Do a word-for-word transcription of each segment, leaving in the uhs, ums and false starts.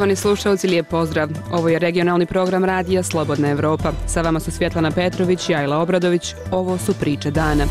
Poštovani slušalci, lijep pozdrav. Ovo je regionalni program radija Slobodna Evropa. Sa vama su Svjetlana Petrović i Ajla Obradović. Ovo su priče dana.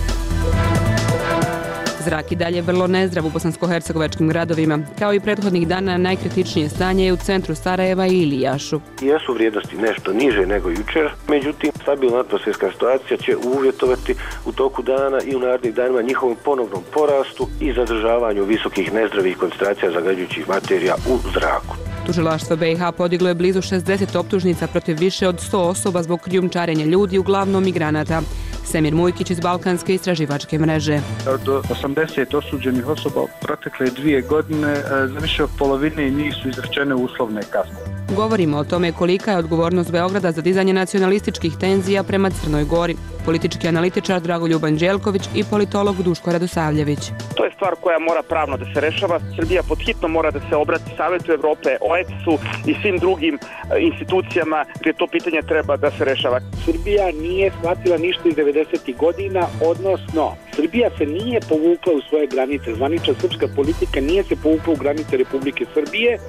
Zrak i dalje vrlo nezdrav u bosansko-hercegovačkim gradovima. Kao i prethodnih dana, najkritičnije stanje je u centru Sarajeva i Ilijašu. Jesu vrijednosti nešto niže nego jučer, međutim, stabilna atmosferska situacija će uvjetovati u toku dana i u narednih danima njihovom ponovnom porastu i zadržavanju visokih nezdravih koncentracija zagađujućih materija u zraku. Tužilaštvo B i H podiglo je blizu šezdeset optužnica protiv više od sto osoba zbog krijumčarenja ljudi, uglavnom migranata. Semir Mujkić iz Balkanske istraživačke mreže. Od osamdeset osuđenih osoba protekle dvije godine za više od polovine njih su izrečene uslovne kazne. Govorimo o tome kolika je odgovornost Beograda za dizanje nacionalističkih tenzija prema Crnoj Gori. Politički analitičar Dragoljub Anđelković i politolog Duško Radosavljević. To je stvar koja mora pravno da se rešava. Srbija podhitno mora da se obrati Savetu Evrope, O E C S-u i svim drugim institucijama gdje to pitanje treba da se rešava. Srbija nije shvatila ništa iz devedesetih godina, odnosno Srbija se nije povukla u svoje granice. Zvanična srpska politika nije se povukla u granice Republike Srbije,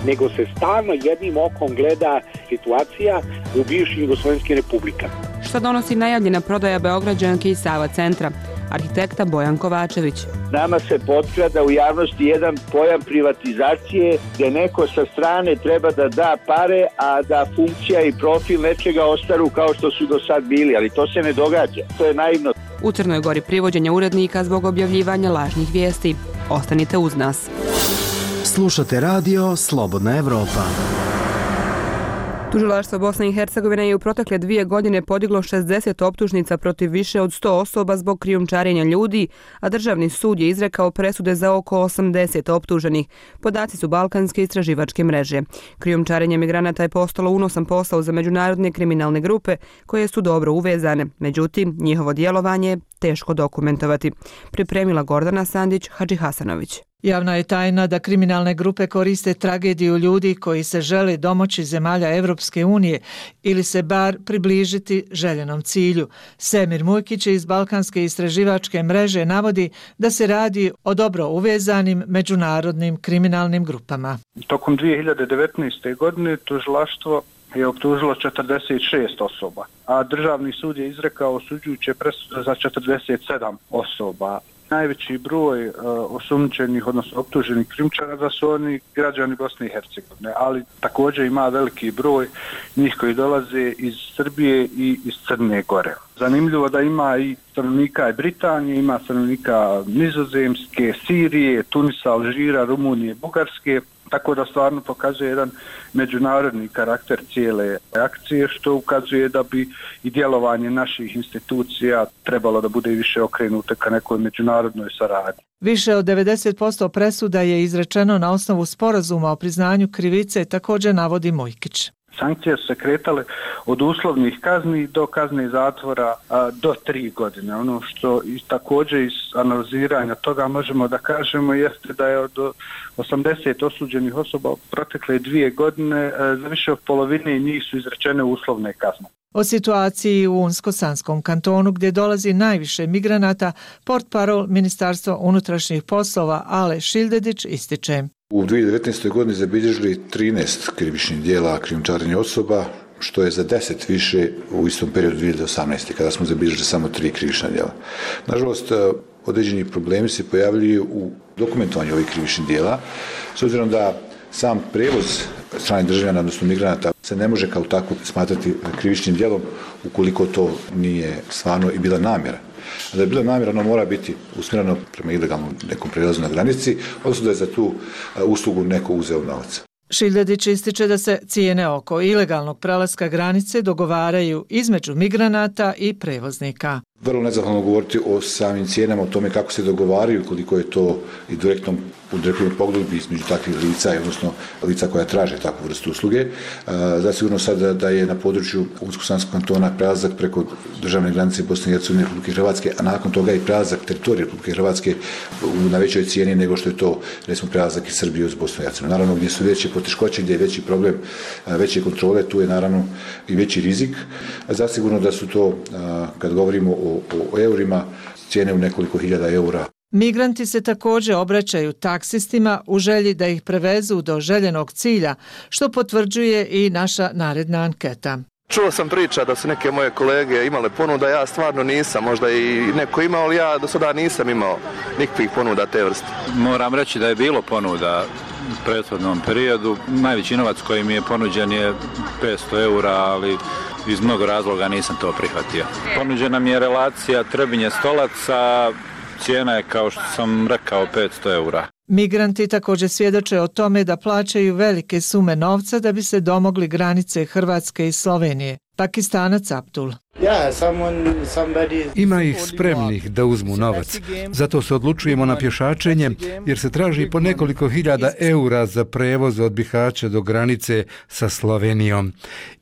nego se stalno jednim okom gleda situacija u bivšim jugoslovenskim republikama. Šta donosi najavljena prodaja Beograđanke i Sava centra? Arhitekta Bojan Kovačević. Nama se potkrada u javnosti jedan pojam privatizacije gdje neko sa strane treba da da pare, a da funkcija i profil nečega ostaru kao što su do sad bili, ali to se ne događa. To je naivno. U Crnoj Gori privođenje urednika zbog objavljivanja lažnih vijesti. Ostanite uz nas. Slušate radio Slobodna Evropa. Tužilaštvo Bosne i Hercegovine je u protekle dvije godine podiglo šezdeset optužnica protiv više od sto osoba zbog krijumčarenja ljudi, a državni sud je izrekao presude za oko osamdeset optuženih. Podaci su Balkanske istraživačke mreže. Krijumčarenje migranata je postalo unosan posao za međunarodne kriminalne grupe koje su dobro uvezane. Međutim, njihovo djelovanje je teško dokumentovati. Pripremila Gordana Sandić Hadžihasanović. Javna je tajna da kriminalne grupe koriste tragediju ljudi koji se žele domoći zemalja Evropske unije ili se bar približiti željenom cilju. Semir Mujkić iz Balkanske istraživačke mreže navodi da se radi o dobro uvezanim međunarodnim kriminalnim grupama. Tokom dvije hiljade devetnaeste. godine tužilaštvo je optužilo četrdeset šest osoba, a državni sud je izrekao osuđujuće presude za četrdeset sedam osoba. Najveći broj uh, osumnjičenih, odnosno optuženih krijumčara su oni građani Bosne i Hercegovine, ali također ima veliki broj njih koji dolaze iz Srbije i iz Crne Gore. Zanimljivo da ima i stanovnika i Britanije, ima stanovnika Nizozemske, Sirije, Tunisa, Alžira, Rumunije, Bugarske, tako da stvarno pokazuje jedan međunarodni karakter cijele akcije, što ukazuje da bi i djelovanje naših institucija trebalo da bude više okrenuto ka nekoj međunarodnoj saradnji. Više od devedeset posto presuda je izrečeno na osnovu sporazuma o priznanju krivice, također navodi Mujkić. Sankcije su se kretale od uslovnih kazni do kazne zatvora a, do tri godine. Ono što i također iz analiziranja toga možemo da kažemo jeste da je od osamdeset osuđenih osoba protekle dvije godine a, za više od polovine njih su izrečene uslovne kazne. O situaciji u Unsko-Sanskom kantonu gdje dolazi najviše migranata, portparol Ministarstva unutrašnjih poslova Ale Šildedić ističe. U dvije hiljade devetnaestoj. godini zabilježili trinaest krivičnih djela krijumčarenja osoba, što je za deset više u istom periodu dvije hiljade osamnaeste. kada smo zabilježili samo tri krivična djela. Nažalost, određeni problemi se pojavljuju u dokumentovanju ovih krivičnih djela, s obzirom da sam prevoz stranih državljana, odnosno migranata, se ne može kao tako smatrati krivičnim djelom ukoliko to nije stvarno i bila namjera. A da je bila namjera, ono mora biti usmjereno prema ilegalnom nekom prelazu na granici, odnosno da je za tu uslugu neko uzeo novac. Šildedić ističe da se cijene oko ilegalnog prelaska granice dogovaraju između migranata i prevoznika. Vrlo nezahvalno govoriti o samim cijenama, o tome kako se dogovaraju, koliko je to i direktnom u direktnom pogledu između takvih lica, odnosno lica koja traže takvu vrstu usluge. Zasigurno sad da je na području Unsko-Sanskog kantona prelazak preko državne granice Bosne i Hercegovine i Republike Hrvatske, a nakon toga i prelazak teritorija Republike Hrvatske na većoj cijeni nego što je to, recimo, prelazak iz Srbije uz Bosnu i Hercegovinu. Naravno, gdje su veće poteškoće, gdje je veći problem, veće kontrole, tu je naravno i veći rizik. Zasigurno da su to, kad govorimo o, o eurima, cijene u nekoliko hiljada eura. Migranti se također obraćaju taksistima u želji da ih prevezu do željenog cilja, što potvrđuje i naša naredna anketa. Čuo sam priča da su neke moje kolege imale ponuda, ja stvarno nisam, možda i neko imao, ali ja do sada nisam imao nikakvih ponuda te vrste. Moram reći da je bilo ponuda u prethodnom periodu. Najveći novac koji mi je ponuđen je petsto eura, ali iz mnogo razloga nisam to prihvatio. Ponuđena mi je relacija Trebinje-Stolac, a cijena je, kao što sam rekao, petsto eura. Migranti također svjedoče o tome da plaćaju velike sume novca da bi se domogli granice Hrvatske i Slovenije. Pakistanac Abdul. Ima ih spremnih da uzmu novac. Zato se odlučujemo na pješačenje, jer se traži po nekoliko hiljada eura za prevoz od Bihaća do granice sa Slovenijom.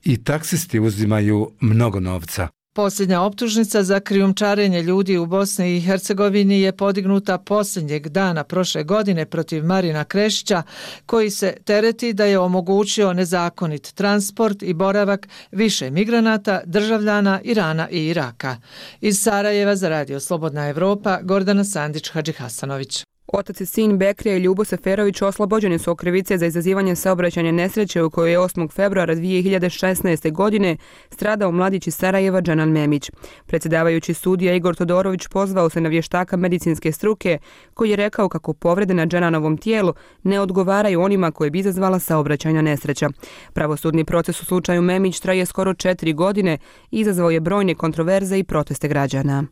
I taksisti uzimaju mnogo novca. Posljednja optužnica za krijumčarenje ljudi u Bosni i Hercegovini je podignuta posljednjeg dana prošle godine protiv Marina Krešića, koji se tereti da je omogućio nezakonit transport i boravak više migranata, državljana Irana i Iraka. Iz Sarajeva za Radio Slobodna Evropa, Gordana Sandić-Hadžihasanović. Otac i sin Bekrija i Ljubo Seferović oslobođeni su od krivice za izazivanje saobraćajne nesreće u kojoj je osmog februara dvije hiljade šesnaeste. godine stradao mladić iz Sarajeva Džanan Memić. Predsjedavajući sudija Igor Todorović pozvao se na vještaka medicinske struke koji je rekao kako povrede na Džananovom tijelu ne odgovaraju onima koje bi izazvala saobraćajna nesreća. Pravosudni proces u slučaju Memić traje skoro četiri godine i izazvao je brojne kontroverze i proteste građana.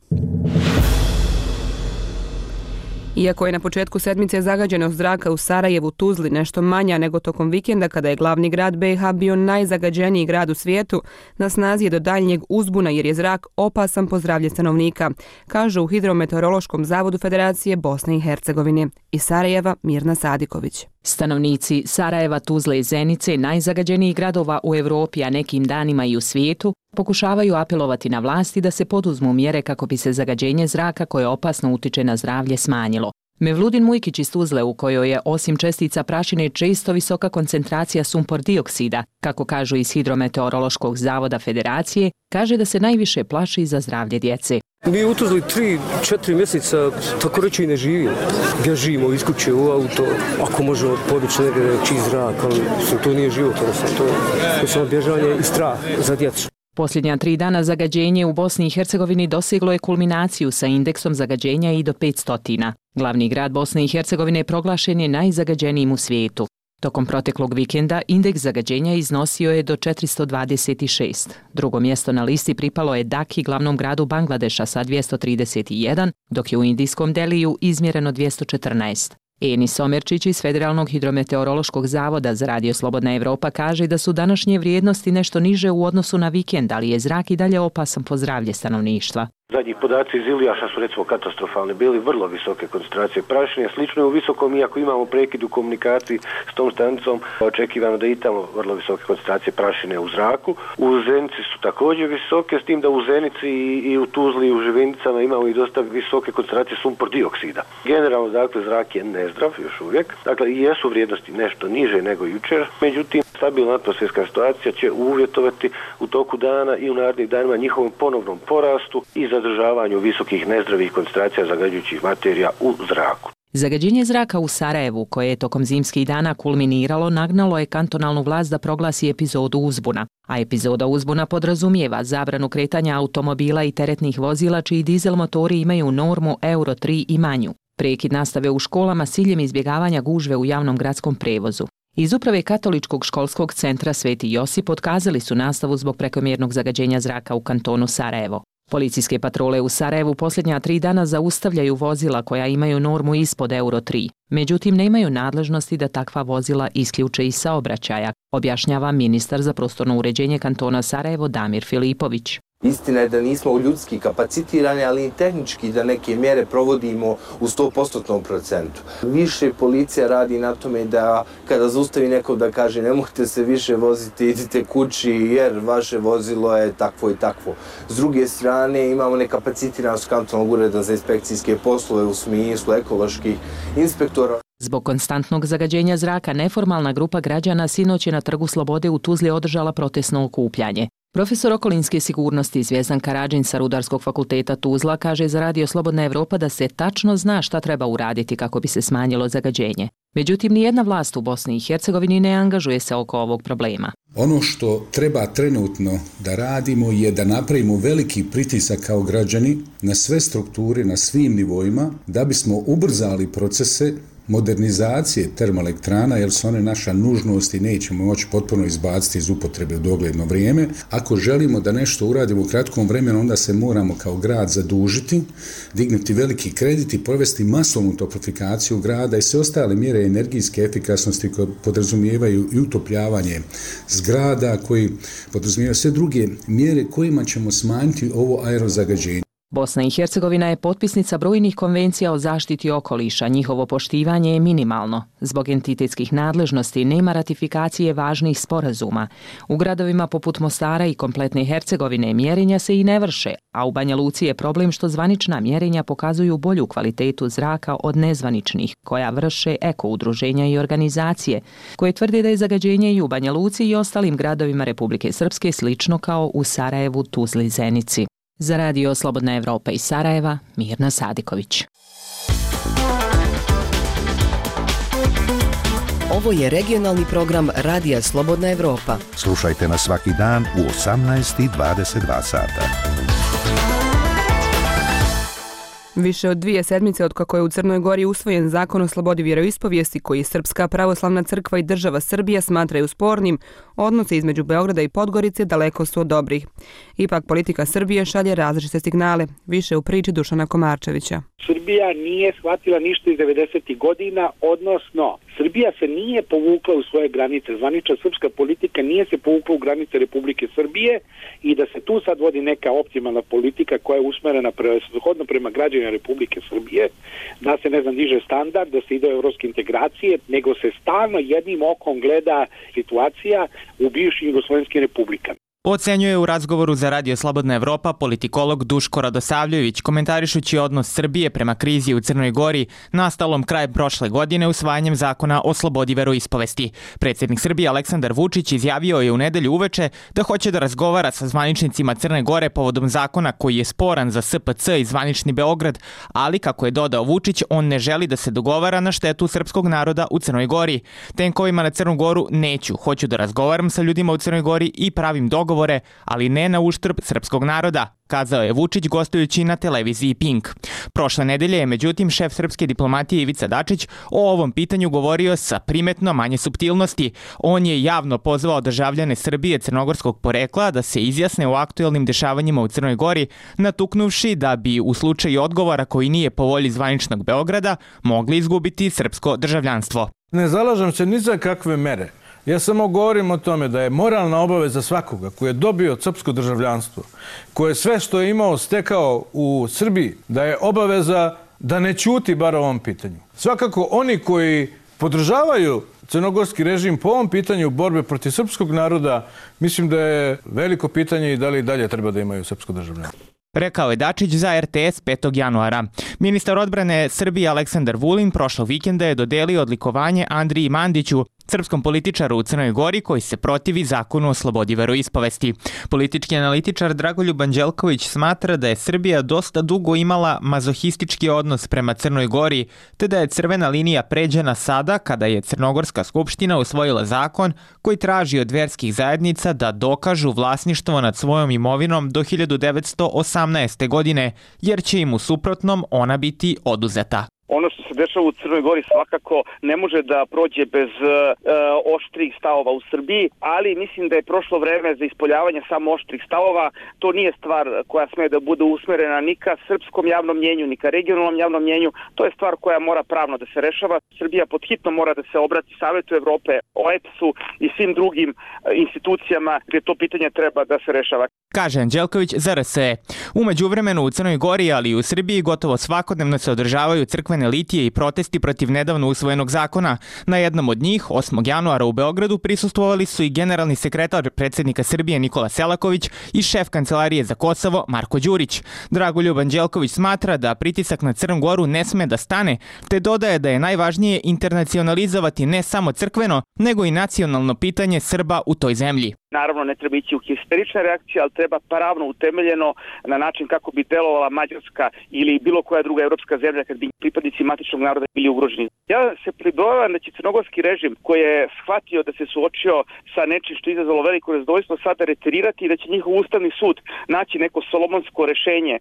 Iako je na početku sedmice zagađenost zraka u Sarajevu, Tuzli nešto manja nego tokom vikenda kada je glavni grad B i H bio najzagađeniji grad u svijetu, na snazi je do daljnjeg uzbuna jer je zrak opasan po zdravlje stanovnika, kažu u Hidrometeorološkom zavodu Federacije Bosne i Hercegovine. Iz Sarajeva Mirna Sadiković. Stanovnici Sarajeva, Tuzle i Zenice, najzagađenijih gradova u Europi, a nekim danima i u svijetu, pokušavaju apelovati na vlasti da se poduzmu mjere kako bi se zagađenje zraka koje opasno utiče na zdravlje smanjilo. Mevludin Mujkić iz Tuzle, u kojoj je osim čestica prašine često visoka koncentracija sumpor dioksida, kako kažu iz Hidrometeorološkog zavoda Federacije, kaže da se najviše plaši za zdravlje djece. Mi u Tuzli tri, četiri mjeseca tako reći ne živimo. Bježimo iz kuće u auto, ako možemo podići negdje čist zrak, ali to nije život, to je samo bježanje i strah za djecu. Posljednja tri dana zagađenje u Bosni i Hercegovini doseglo je kulminaciju sa indeksom zagađenja i do petsto. Glavni grad Bosne i Hercegovine proglašen je najzagađenijim u svijetu. Tokom proteklog vikenda indeks zagađenja iznosio je do četiristo dvadeset šest. Drugo mjesto na listi pripalo je Daki, glavnom gradu Bangladeša sa dvjesto trideset jedan, dok je u indijskom Deliju izmjereno dvjesto četrnaest. Enis Omerčić iz Federalnog hidrometeorološkog zavoda za Radio Slobodna Evropa kaže da su današnje vrijednosti nešto niže u odnosu na vikend, ali je zrak i dalje opasan po zdravlje stanovništva. Zadnji podaci iz Ilijaša su recimo katastrofalni, bili vrlo visoke koncentracije prašine, slično je u Visokom, iako imamo prekid u komunikaciji s tom stanicom, očekivano da i tamo vrlo visoke koncentracije prašine u zraku. U Zenici su također visoke, s tim da u Zenici i u Tuzli i u Živinicama imamo i dosta visoke koncentracije sumpor dioksida. Generalno, dakle, zrak je nezdrav još uvijek, dakle, i jesu vrijednosti nešto niže nego jučer, međutim, stabilna atmosferska situacija će uvjetovati u toku dana i u narednih danima njihovom ponovnom porastu i zadržavanju visokih nezdravih koncentracija zagađujućih materija u zraku. Zagađenje zraka u Sarajevu, koje je tokom zimskih dana kulminiralo, nagnalo je kantonalnu vlast da proglasi epizodu uzbuna. A epizoda uzbuna podrazumijeva zabranu kretanja automobila i teretnih vozila čiji dizel motori imaju normu Euro tri i manju. Prekid nastave u školama s ciljem izbjegavanja gužve u javnom gradskom prevozu. Iz uprave Katoličkog školskog centra Sveti Josip otkazali su nastavu zbog prekomjernog zagađenja zraka u kantonu Sarajevo. Policijske patrole u Sarajevu posljednja tri dana zaustavljaju vozila koja imaju normu ispod Euro tri. Međutim, nemaju nadležnosti da takva vozila isključe iz saobraćaja, objašnjava ministar za prostorno uređenje kantona Sarajevo Damir Filipović. Istina je da nismo ljudski kapacitirani, ali i tehnički da neke mjere provodimo u sto posto procentu. Više policija radi na tome da kada zaustavi neko da kaže ne možete se više voziti, idite kući jer vaše vozilo je takvo i takvo. S druge strane imamo nekapacitiranost kantonalnog ureda za inspekcijske poslove u smislu ekoloških inspektora. Zbog konstantnog zagađenja zraka neformalna grupa građana sinoć je na Trgu Slobode u Tuzli održala protestno okupljanje. Profesor okolinske sigurnosti Zvjezdan Karadžin sa Rudarskog fakulteta Tuzla kaže za Radio Slobodna Evropa da se tačno zna šta treba uraditi kako bi se smanjilo zagađenje. Međutim, nijedna vlast u Bosni i Hercegovini ne angažuje se oko ovog problema. Ono što treba trenutno da radimo je da napravimo veliki pritisak kao građani na sve strukture, na svim nivoima, da bismo ubrzali procese modernizacije termoelektrana, jer su one naša nužnost i nećemo moći potpuno izbaciti iz upotrebe u dogledno vrijeme. Ako želimo da nešto uradimo u kratkom vremenu, onda se moramo kao grad zadužiti, dignuti veliki kredit i provesti masovnu toplifikaciju grada i sve ostale mjere energijske efikasnosti koje podrazumijevaju i utopljavanje zgrada, koji podrazumijevaju sve druge mjere kojima ćemo smanjiti ovo aerozagađenje. Bosna i Hercegovina je potpisnica brojnih konvencija o zaštiti okoliša, njihovo poštivanje je minimalno. Zbog entitetskih nadležnosti nema ratifikacije važnih sporazuma. U gradovima poput Mostara i kompletne Hercegovine mjerenja se i ne vrše, a u Banja Luci je problem što zvanična mjerenja pokazuju bolju kvalitetu zraka od nezvaničnih, koja vrše eko-udruženja i organizacije, koje tvrde da je zagađenje i u Banja Luci i ostalim gradovima Republike Srpske slično kao u Sarajevu, Tuzli i Zenici. Za Radio Slobodna Evropa iz Sarajeva, Mirna Sadiković. Ovo je regionalni program Radija Slobodna Evropa. Slušajte nas svaki dan u osamnaest i dvadeset dva sata. Više od dvije sedmice od kako je u Crnoj Gori usvojen zakon o slobodi vjeroispovijesti koji Srpska pravoslavna crkva i država Srbija smatraju spornim, odnose između Beograda i Podgorice daleko su od dobrih. Ipak politika Srbije šalje različite signale. Više u priči Dušana Komarčevića. Srbija nije shvatila ništa iz devedesetih godina, odnosno Srbija se nije povukla u svoje granice. Zvanična srpska politika nije se povukla u granice Republike Srbije i da se tu sad vodi neka optimalna politika koja je usmerena prevashodno prema građanima Republike Srbije, da se ne znam diže standard, da se ide u evropske integracije, nego se stalno jednim okom gleda situacija u bivšim jugoslovenskim republikama. Ocenjuje u razgovoru za Radio Slobodna Evropa politikolog Duško Radosavljević, komentarišući odnos Srbije prema krizi u Crnoj Gori nastalom krajem prošle godine usvajanjem zakona o slobodi veroispovesti. Predsjednik Srbije Aleksandar Vučić izjavio je u nedelju uveče da hoće da razgovara sa zvaničnicima Crne Gore povodom zakona koji je sporan za S P C i zvanični Beograd, ali kako je dodao Vučić, on ne želi da se dogovara na štetu srpskog naroda u Crnoj Gori. Tenkovima na Crnu Goru neću, hoću da razgovaram sa ljudima u Crnoj Gori i pravim dogovor, ali ne na uštrb srpskog naroda, kazao je Vučić gostujući na televiziji Pink. Prošle nedelje je međutim šef srpske diplomatije Ivica Dačić o ovom pitanju govorio sa primetno manje suptilnosti. On je javno pozvao državljane Srbije crnogorskog porekla da se izjasne o aktuelnim dešavanjima u Crnoj Gori, natuknuvši da bi u slučaju odgovora koji nije po volji zvaničnog Beograda mogli izgubiti srpsko državljanstvo. Ne zalažem se ni za kakve mere. Ja samo govorim o tome da je moralna obaveza svakoga koji je dobio srpsko državljanstvo, koji je sve što je imao stekao u Srbiji, da je obaveza da ne ćuti bar o ovom pitanju. Svakako oni koji podržavaju crnogorski režim po ovom pitanju borbe protiv srpskog naroda, mislim da je veliko pitanje i da li dalje treba da imaju srpsko državljanstvo. Rekao je Dačić za R T S petog januara. Ministar odbrane Srbije Aleksandar Vulin prošlog vikenda je dodelio odlikovanje Andriji Mandiću, srpskom političaru u Crnoj Gori koji se protivi zakonu o slobodi veroispovesti. Politički analitičar Dragoljub Anđelković smatra da je Srbija dosta dugo imala mazohistički odnos prema Crnoj Gori, te da je crvena linija pređena sada kada je Crnogorska skupština usvojila zakon koji traži od verskih zajednica da dokažu vlasništvo nad svojom imovinom do hiljadu devetsto osamnaeste. godine, jer će im u suprotnom ona biti oduzeta. Ono što se dešava u Crnoj Gori svakako ne može da prođe bez e, oštrih stavova u Srbiji, ali mislim da je prošlo vreme za ispoljavanje samo oštrih stavova. To nije stvar koja sme da bude usmerena ni ka srpskom javnom mnjenju, ni ka regionalnom javnom mnjenju. To je stvar koja mora pravno da se rešava. Srbija podhitno mora da se obrati Savetu Evrope, O E P S-u i svim drugim institucijama gdje to pitanje treba da se rešava. Kaže Anđelković za R S E. U međuvremenu u Crnoj Gori, ali i u Srbiji gotovo svakodnevno se održavaju crkvene litije i protesti protiv nedavno usvojenog zakona. Na jednom od njih, osmog januara u Beogradu, prisustvovali su i generalni sekretar predsjednika Srbije Nikola Selaković i šef kancelarije za Kosovo Marko Đurić. Dragoljub Anđelković smatra da pritisak na Crnu Goru ne sme da stane, te dodaje da je najvažnije internacionalizovati ne samo crkveno, nego i nacionalno pitanje Srba u toj zemlji. Naravno, ne treba ići u histerične reakcije, ali treba pravno utemeljeno na način kako bi delovala Mađarska ili bilo koja druga evropska zemlja kad bi pripadnici matičnog naroda bili ugroženi. Ja se pribojavam da će crnogorski režim koji je shvatio da se suočio sa nečim što je izazvalo veliko nezadovoljstvo sada reterirati i da će njihov ustavni sud naći neko solomonsko rešenje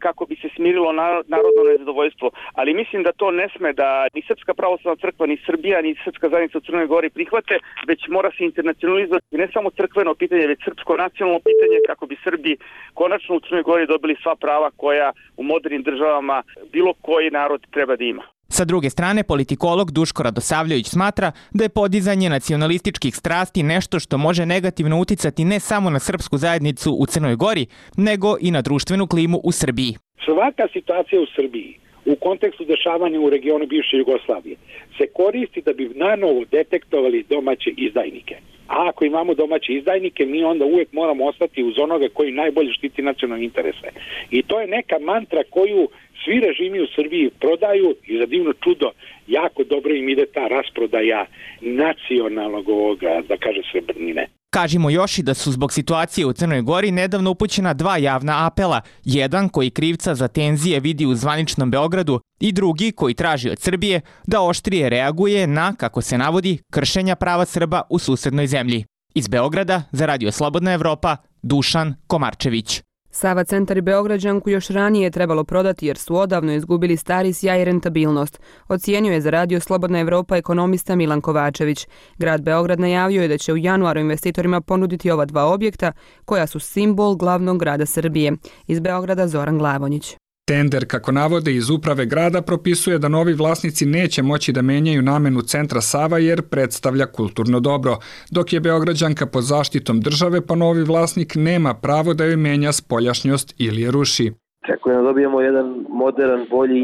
kako bi se smirilo narodno nezadovoljstvo. Ali mislim da to ne sme da ni Srpska pravoslavna crkva, ni Srbija, ni Srpska zajednica u Crnoj Gori prihvate, već mora se internacionalizovati ne samo crkveno pitanje, već srpsko nacionalno pitanje kako bi Srbi konačno u Crnoj Gori dobili sva prava koja u modernim državama bilo koji narod treba da ima. Sa druge strane, politikolog Duško Radosavljević smatra da je podizanje nacionalističkih strasti nešto što može negativno uticati ne samo na srpsku zajednicu u Crnoj Gori, nego i na društvenu klimu u Srbiji. Svaka situacija u Srbiji u kontekstu dešavanja u regionu bivše Jugoslavije se koristi da bi nanovo detektovali domaće izdajnike. A ako imamo domaće izdajnike, mi onda uvijek moramo ostati uz onoga koji najbolje štiti nacionalne interese. I to je neka mantra koju svi režimi u Srbiji prodaju i za divno čudo jako dobro im ide ta rasprodaja nacionalnog ovoga, da kaže srebrnine. Kažimo još i da su zbog situacije u Crnoj Gori nedavno upućena dva javna apela, jedan koji krivca za tenzije vidi u zvaničnom Beogradu i drugi koji traži od Srbije da oštrije reaguje na, kako se navodi, kršenja prava Srba u susednoj zemlji. Iz Beograda za Radio Slobodna Evropa, Dušan Komarčević. Sava centar i Beograđanku još ranije je trebalo prodati jer su odavno izgubili stari sjaj i rentabilnost, ocijenio je za Radio Slobodna Evropa ekonomista Milan Kovačević. Grad Beograd najavio je da će u januaru investitorima ponuditi ova dva objekta koja su simbol glavnog grada Srbije. Iz Beograda Zoran Glavonjić. Tender, kako navode iz uprave grada, propisuje da novi vlasnici neće moći da menjaju namenu centra Sava jer predstavlja kulturno dobro, dok je Beograđanka pod zaštitom države pa novi vlasnik nema pravo da joj menja spoljašnjost ili je ruši. Očekujem da dobijemo jedan modern, bolji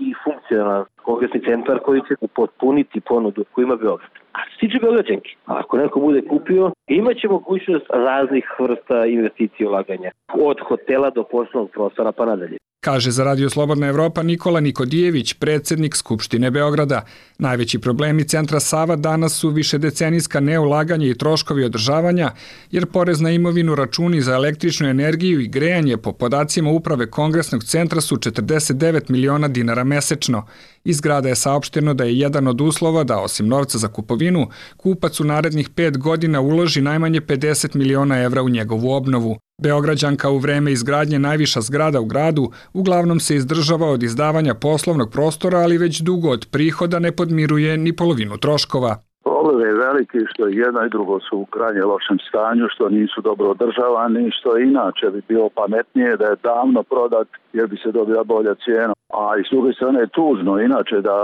i funkcionalan kongresni centar koji će potpuniti ponudu koju ima Beograd. A što se tiče Beograđanke, ako neko bude kupio, imaće mogućnost raznih vrsta investicija i ulaganja. Od hotela do poslovnog prostora pa nadalje. Kaže za Radio Slobodna Evropa Nikola Nikodijević, predsjednik Skupštine Beograda. Najveći problemi centra Sava danas su višedecenijska neulaganje i troškovi održavanja, jer porez na imovinu, računi za električnu energiju i grejanje po podacima uprave Kongresnog centra su četrdeset devet miliona dinara mesečno. Iz grada je saopšteno da je jedan od uslova da, osim novca za kupovinu, kupac u narednih pet godina uloži najmanje pedeset miliona evra u njegovu obnovu. Beograđanka u vreme izgradnje najviša zgrada u gradu uglavnom se izdržava od izdavanja poslovnog prostora, ali već dugo od prihoda ne podmiruje ni polovinu troškova. Problem je veliki što jedno i drugo su u krajnje lošem stanju, što nisu dobro održavani, što inače bi bilo pametnije da je davno prodat jer bi se dobila bolja cijena. A i s druge strane je tužno inače da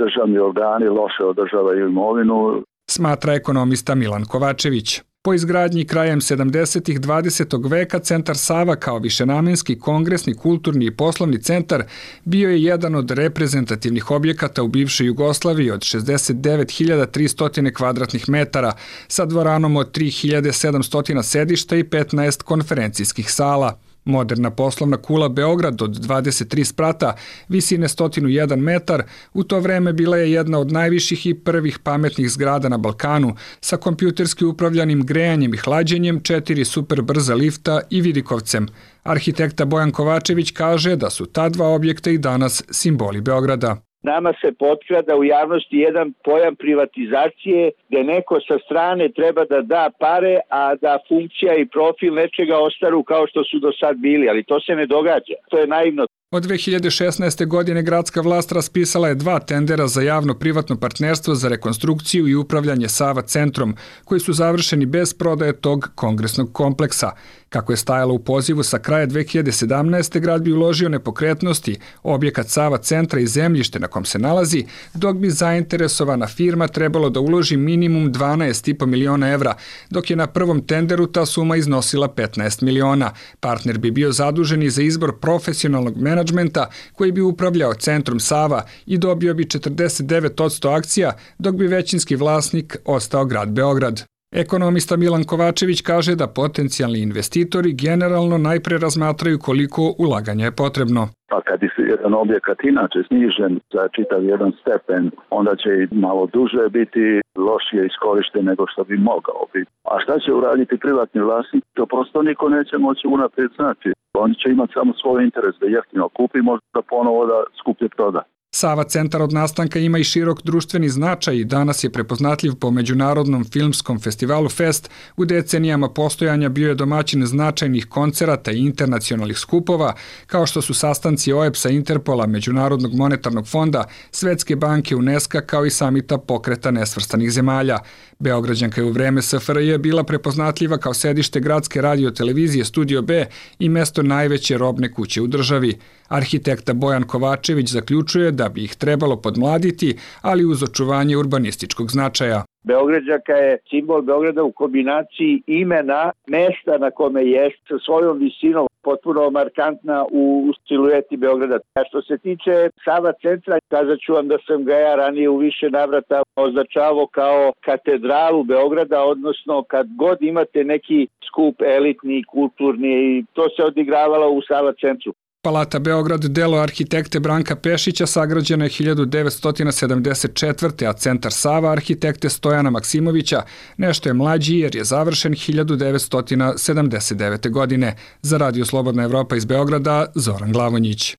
državni organi loše održavaju imovinu. Smatra ekonomista Milan Kovačević. Po izgradnji krajem sedamdesetih dvadesetog veka centar Sava kao višenamenski kongresni, kulturni i poslovni centar bio je jedan od reprezentativnih objekata u bivšoj Jugoslaviji od šezdeset devet hiljada tristo kvadratnih metara sa dvoranom od tri hiljade sedamsto sedišta i petnaest konferencijskih sala. Moderna poslovna kula Beograd od dvadeset tri sprata, visine sto jedan metar, u to vreme bila je jedna od najviših i prvih pametnih zgrada na Balkanu, sa kompjuterski upravljanim grejanjem i hlađenjem, četiri super brza lifta i vidikovcem. Arhitekta Bojan Kovačević kaže da su ta dva objekta i danas simboli Beograda. Nama se potkrada u javnosti jedan pojam privatizacije gdje neko sa strane treba da da pare, a da funkcija i profil nečega ostaru kao što su do sad bili, ali to se ne događa. To je naivno. Od dve hiljade šesnaeste. godine gradska vlast raspisala je dva tendera za javno-privatno partnerstvo za rekonstrukciju i upravljanje Sava centrom, koji su završeni bez prodaje tog kongresnog kompleksa. Kako je stajalo u pozivu sa kraja dve hiljade sedamnaeste. grad bi uložio nepokretnosti, objekat Sava centra i zemljište na kom se nalazi, dok bi zainteresovana firma trebalo da uloži minimum dvanaest i po miliona evra, dok je na prvom tenderu ta suma iznosila petnaest miliona. Partner bi bio zadužen i za izbor profesionalnog menadžmenta koji bi upravljao centrom Sava i dobio bi četrdeset devet posto akcija, dok bi većinski vlasnik ostao grad Beograd. Ekonomista Milan Kovačević kaže da potencijalni investitori generalno najpre razmatraju koliko ulaganja je potrebno. Pa kad je jedan objekat inače snižen za čitav jedan stepen, onda će i malo duže biti lošije iskorišten nego što bi mogao biti. A šta će uraditi privatni vlasnik? To prosto niko neće moći unaprijed znati. Oni će imati samo svoj interes da jeftino kupi, možda ponovo da skuplje proda. Sava centar od nastanka ima i širok društveni značaj i danas je prepoznatljiv po Međunarodnom filmskom festivalu Fest. U decenijama postojanja bio je domaćin značajnih koncerata i internacionalnih skupova, kao što su sastanci O E B S-a, Interpola, Međunarodnog monetarnog fonda, Svetske banke, UNESCO, kao i samita Pokreta nesvrstanih zemalja. Beograđanka je u vreme S F R J bila prepoznatljiva kao sedište gradske radiotelevizije Studio B i mesto najveće robne kuće u državi. Arhitekta Bojan Kovačević zaključuje da bi ih trebalo podmladiti, ali uz očuvanje urbanističkog značaja. Beograđanka je simbol Beograda u kombinaciji imena, mesta na kome jest, sa svojom visinom, potpuno markantna u silueti Beograda. A što se tiče Sava centra, kazat ću vam da sam ga ja ranije u više navrata označavao kao katedralu Beograda, odnosno kad god imate neki skup elitni, kulturni, to se odigravalo u Sava centru. Palata Beograd, delo arhitekte Branka Pešića, sagrađena je hiljadu devetsto sedamdeset četvrte. a centar Sava arhitekte Stojana Maksimovića nešto je mlađi jer je završen hiljadu devetsto sedamdeset devete. godine. Za Radio Slobodna Evropa iz Beograda, Zoran Glavonjić.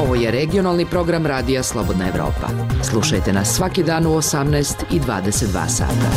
Ovo je regionalni program Radija Slobodna Evropa. Slušajte nas svaki dan u osamnaest i dvadeset dva sata.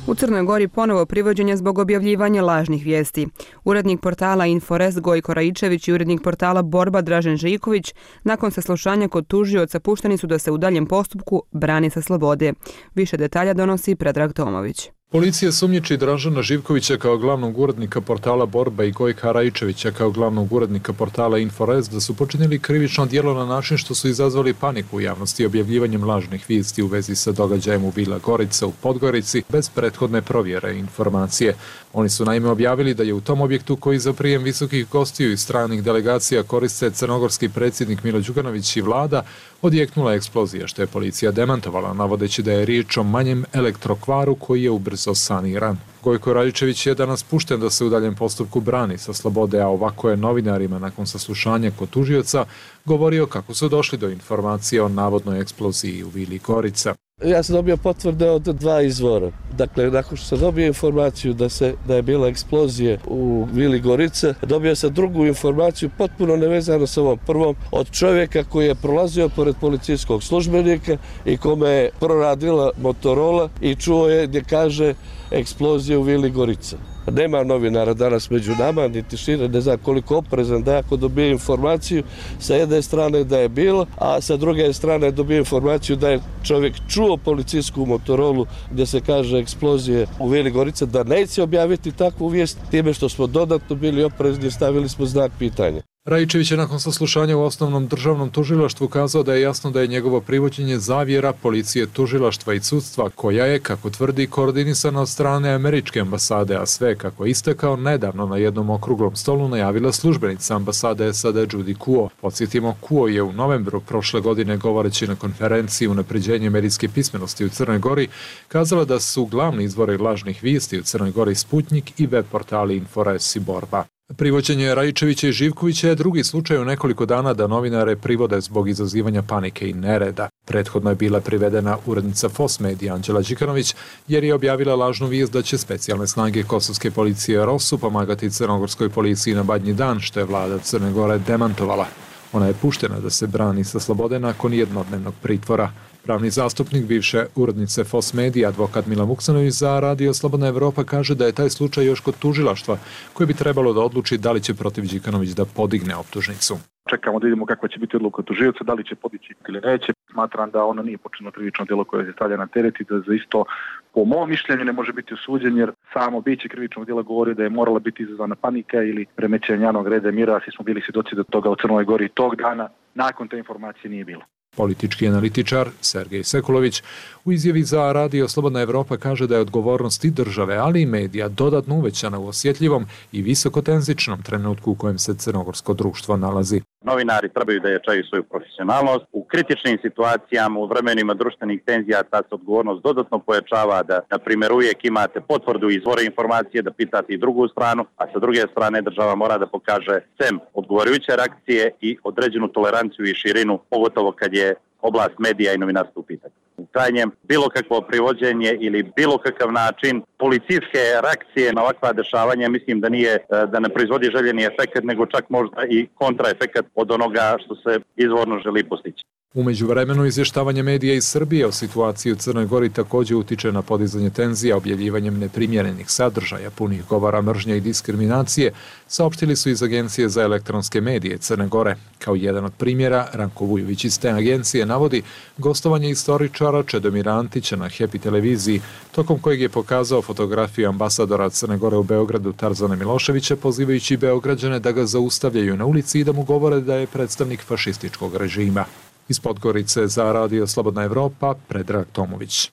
U Crnoj Gori ponovo privođenje zbog objavljivanja lažnih vijesti. Urednik portala Inforest Gojko Raičević i urednik portala Borba Dražen Živković nakon saslušanja kod tužioca pušteni su da se u daljem postupku brani sa slobode. Više detalja donosi Predrag Tomović. Policija sumnjiči Dražana Živkovića kao glavnog urednika portala Borba i Gojka Raičevića kao glavnog urednika portala Inforest da su počinili krivično djelo na način što su izazvali paniku u javnosti objavljivanjem lažnih vijesti u vezi sa događajem u Bila Gorica u Podgorici bez prethodne provjere informacije. Oni su naime objavili da je u tom objektu koji za prijem visokih gostiju i stranih delegacija koriste crnogorski predsjednik Milo Đukanović i vlada odjeknula eksplozija, što je policija demantovala, navodeći da je riječ o manjem elektrokvaru koji je ubrzo saniran. Gojko Raičević je danas pušten da se u daljem postupku brani sa slobode, a ovako je novinarima nakon saslušanja kod tužioca govorio kako su došli do informacije o navodnoj eksploziji u Vili Gorica. Ja sam dobio potvrde od dva izvora. Dakle, nakon što sam dobio informaciju da, se, da je bila eksplozija u Vili Gorice, dobio sam drugu informaciju potpuno nevezano sa ovom prvom od čovjeka koji je prolazio pored policijskog službenika i kome je proradila Motorola i čuo je gdje kaže eksplozija u Vili Gorice. Nema novinara danas među nama, niti šire, ne znam koliko oprezan da ako dobije informaciju sa jedne strane da je bilo, a sa druge strane dobije informaciju da je čovjek čuo policijsku Motorolu gdje se kaže eksplozije u Vili Gorice, da neće objaviti takvu vijest, time što smo dodatno bili oprezni i stavili smo znak pitanja. Raičević je nakon saslušanja u osnovnom državnom tužilaštvu kazao da je jasno da je njegovo privođenje zavjera policije, tužilaštva i sudstva, koja je, kako tvrdi, koordinisana od strane američke ambasade, a sve, kako je istakao, nedavno na jednom okruglom stolu najavila službenica ambasade S A D Judy Kuo. Podsjetimo, Kuo je u novembru prošle godine, govoreći na konferenciji Unapređenje medijske pismenosti u Crnoj Gori, kazala da su glavni izvori lažnih vijesti u Crnoj Gori Sputnik i web portali Infores i Borba. Privođenje Raičevića i Živkovića je drugi slučaj u nekoliko dana da novinare privode zbog izazivanja panike i nereda. Prethodno je bila privedena urednica F O S medija Anđela Đikanović jer je objavila lažnu vijest da će specijalne snage kosovske policije ROSU pomagati crnogorskoj policiji na Badnji dan, što je vlada Crne Gore demantovala. Ona je puštena da se brani sa slobode nakon jednodnevnog pritvora. Pravni zastupnik bivše urednice F O S medija, advokat Milan Vuksanović za Radio Slobodna Evropa, kaže da je taj slučaj još kod tužilaštva koje bi trebalo da odluči da li će protiv Đikanović da podigne optužnicu. Čekamo da vidimo kakva će biti odluka tužioca, da li će podići ili neće. Smatram da ono nije počinilo krivično djelo koje se stavlja na teret i da za isto, po mom mišljenju, ne može biti osuđen jer samo biće krivičnog djela govori da je morala biti izazvana panika ili remećenje javnog reda i mira. Svi smo bili svjedoci da toga u Crnoj Gori tog dana nakon te informacije nije bilo. Politički analitičar Sergej Sekulović u izjavi za Radio Slobodna Evropa kaže da je odgovornost i države, ali i medija dodatno uvećana u osjetljivom i visokotenzičnom trenutku u kojem se crnogorsko društvo nalazi. Novinari trebaju da jačaju svoju profesionalnost. U kritičnim situacijama, u vremenima društvenih tenzija, ta se odgovornost dodatno pojačava da, na primjer, uvijek imate potvrdu izvora informacije, da pitate i drugu stranu, a sa druge strane država mora da pokaže sem odgovarajuće reakcije i određenu toleranciju i širinu, pogotovo kad je oblast medija i novinarstva u pitanju. U krajnjem, bilo kakvo privođenje ili bilo kakav način policijske reakcije na ovakva dešavanja, mislim da nije, da ne proizvodi željeni efekt, nego čak možda i kontraefekat od onoga što se izvorno želi postići. U međuvremenu izvještavanje medija iz Srbije o situaciji u Crnoj Gori također utiče na podizanje tenzija objavljivanjem neprimjerenih sadržaja punih govora mržnje i diskriminacije, saopštili su iz Agencije za elektronske medije Crne Gore. Kao jedan od primjera, Ranko Vujović iz te agencije navodi gostovanje istoričara Čedomira Antića na Happy televiziji, tokom kojeg je pokazao fotografiju ambasadora Crne Gore u Beogradu Tarzana Miloševića, pozivajući Beograđane da ga zaustavljaju na ulici i da mu govore da je predstavnik fašističkog režima. Iz Podgorice za Radio Slobodna Evropa, Predrag Tomović.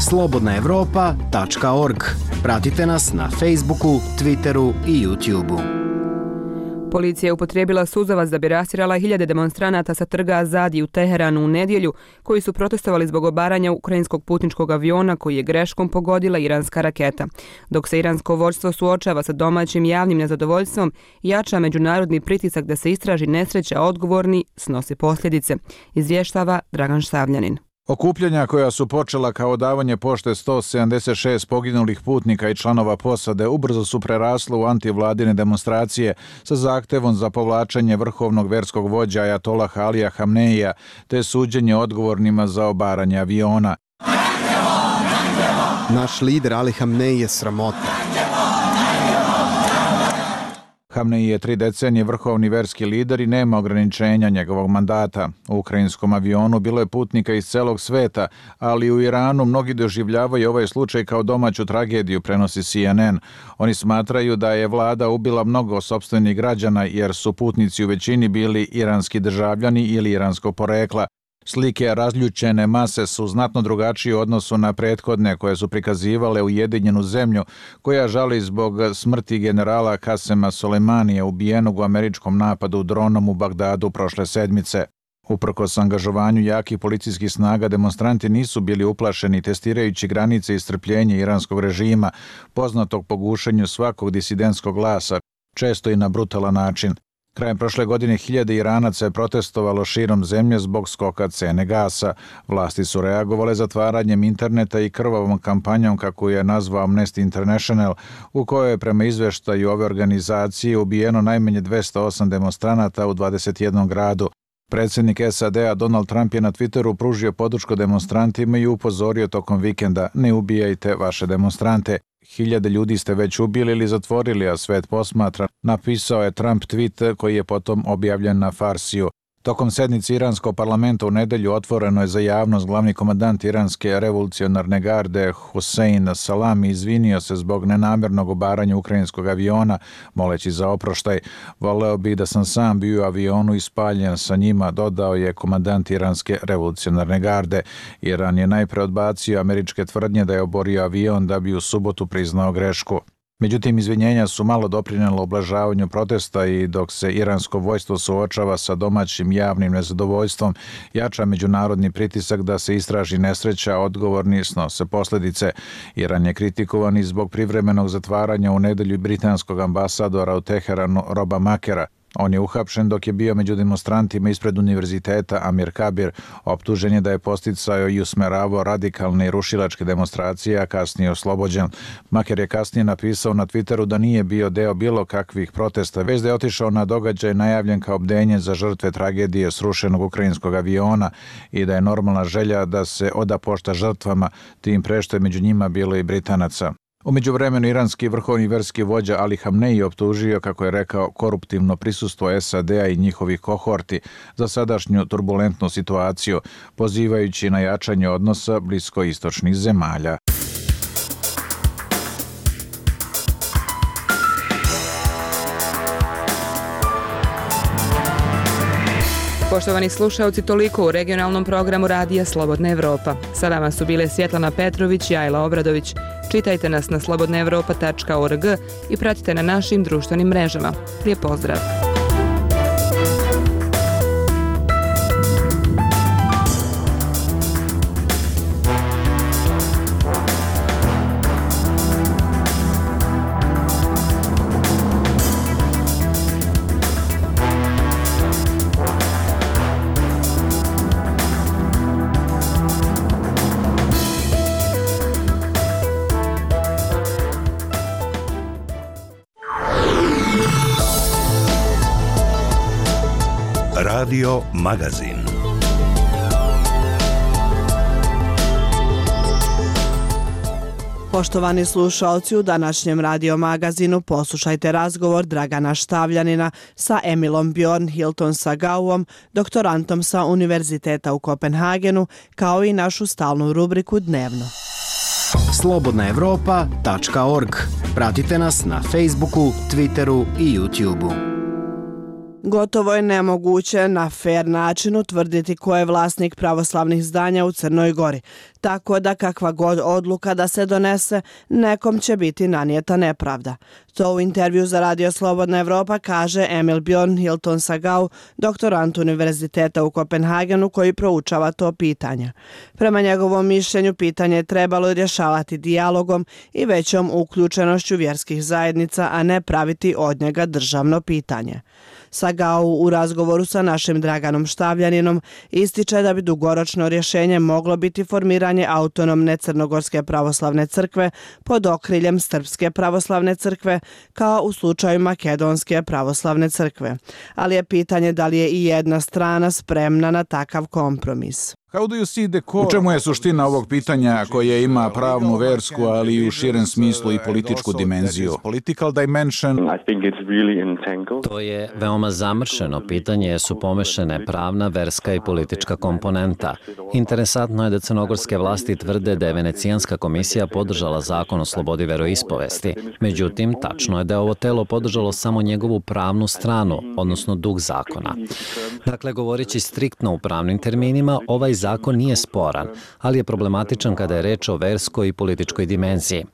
slobodna evropa tačka org. Pratite nas na Facebooku, Twitteru i YouTubeu. Policija je upotrijebila suzavac da bi rastirala hiljade demonstranata sa trga Azadi u Teheranu u nedjelju, koji su protestovali zbog obaranja ukrajinskog putničkog aviona koji je greškom pogodila iranska raketa. Dok se iransko vođstvo suočava sa domaćim javnim nezadovoljstvom, jača međunarodni pritisak da se istraži nesreća, odgovorni snosi posljedice, izvještava Dragan Štavljanin. Okupljanja koja su počela kao davanje pošte sto sedamdeset šest poginulih putnika i članova posade ubrzo su prerasle u antivladine demonstracije sa zahtevom za povlačenje vrhovnog verskog vođa ajatolaha Alija Hamneija te suđenje odgovornima za obaranje aviona. Naš lider Ali Hamnej je sramota. Hamnej je tri decenije vrhovni verski lider i nema ograničenja njegovog mandata. U ukrajinskom avionu bilo je putnika iz celog sveta, ali u Iranu mnogi doživljavaju ovaj slučaj kao domaću tragediju, prenosi C N N. Oni smatraju da je vlada ubila mnogo sopstvenih građana jer su putnici u većini bili iranski državljani ili iranskog porekla. Slike razljučene mase su znatno drugačije u odnosu na prethodne koje su prikazivale ujedinjenu zemlju koja žali zbog smrti generala Kasema Soleimanija ubijenog u američkom napadu dronom u Bagdadu prošle sedmice. Uprkos angažovanju jakih policijskih snaga, demonstranti nisu bili uplašeni testirajući granice i strpljenje iranskog režima, poznatog po gušenju svakog disidentskog glasa, često i na brutalan način. Krajem prošle godine hiljade Iranaca je protestovalo širom zemlje zbog skoka cene gasa. Vlasti su reagovale zatvaranjem interneta i krvavom kampanjom, kako je nazvao Amnesty International, u kojoj je prema izveštaju ove organizacije ubijeno najmanje dvesta osam demonstranata u dvadeset jednom gradu. Predsjednik S A D-a Donald Trump je na Twitteru pružio podršku demonstrantima i upozorio tokom vikenda: ne ubijajte vaše demonstrante. Hiljade ljudi ste već ubili ili zatvorili, a svet posmatra, napisao je Trump tweet koji je potom objavljen na Farsiju. Tokom sednice iranskog parlamenta u nedelju otvoreno je za javnost glavni komandant iranske revolucionarne garde Hussein Salami izvinio se zbog nenamjernog obaranja ukrajinskog aviona, moleći za oproštaj. Voleo bi da sam sam bio u avionu i spaljen sa njima, dodao je komandant iranske revolucionarne garde. Iran je najpre odbacio američke tvrdnje da je oborio avion da bi u subotu priznao grešku. Međutim, izvinjenja su malo doprinijela ublažavanju protesta i dok se iransko vojstvo suočava sa domaćim javnim nezadovoljstvom, jača međunarodni pritisak da se istraži nesreća, odgovorni snose posljedice. Iran je kritikovan i zbog privremenog zatvaranja u nedelju britanskog ambasadora u Teheranu Roba Makera. On je uhapšen dok je bio među demonstrantima ispred univerziteta Amir Kabir. Optužen je da je posticao i usmeravao radikalne i rušilačke demonstracije, a kasnije oslobođen. Maker je kasnije napisao na Twitteru da nije bio deo bilo kakvih protesta, već da je otišao na događaj najavljen kao bdenje za žrtve tragedije srušenog ukrajinskog aviona i da je normalna želja da se oda pošta žrtvama, tim pre što je među njima bilo i Britanaca. U međuvremenu iranski vrhovni verski vođa Ali Hamnej optužio, kako je rekao, koruptivno prisustvo S A D-a i njihovih kohorti za sadašnju turbulentnu situaciju, pozivajući na jačanje odnosa bliskoistočnih zemalja. Poštovani slušalci, toliko u regionalnom programu Radija Slobodna Evropa. Sa vama su bile Svjetlana Petrović i Ajla Obradović. Čitajte nas na slobodna evropa tačka org i pratite na našim društvenim mrežama. Lijep pozdrav! Radio Magazin. Poštovani slušalci, u današnjem radio magazinu poslušajte razgovor Dragana Štavljanina sa Emilom Bjorn Hilton Sagauom, doktorantom sa Univerziteta u Kopenhagenu, kao i našu stalnu rubriku Dnevno. slobodna evropa tačka org. Pratite nas na Facebooku, Twitteru i YouTubeu. Gotovo je nemoguće na fer način utvrditi ko je vlasnik pravoslavnih zdanja u Crnoj Gori, tako da kakva god odluka da se donese, nekom će biti nanijeta nepravda. To u intervju za Radio Slobodna Evropa kaže Emil Bjorn Hilton Sagau, doktorant Univerziteta u Kopenhagenu koji proučava to pitanje. Prema njegovom mišljenju, pitanje je trebalo rješavati dijalogom i većom uključenošću vjerskih zajednica, a ne praviti od njega državno pitanje. Sagau u razgovoru sa našim Draganom Štavljaninom ističe da bi dugoročno rješenje moglo biti formiranje autonomne Crnogorske pravoslavne crkve pod okriljem Srpske pravoslavne crkve, kao u slučaju Makedonske pravoslavne crkve. Ali je pitanje da li je i jedna strana spremna na takav kompromis. U čemu je suština ovog pitanja koje ima pravnu, versku, ali i u širem smislu i političku dimenziju? To je veoma zamršeno pitanje jer su pomešane pravna, verska i politička komponenta. Interesantno je da crnogorske vlasti tvrde da je Venecijanska komisija podržala zakon o slobodi veroispovesti. Međutim, tačno je da je ovo telo podržalo samo njegovu pravnu stranu, odnosno duh zakona. Dakle, govoreći striktno u pravnim terminima, ovaj zakon nije sporan, ali je problematičan kada je reč o verskoj i političkoj dimenziji.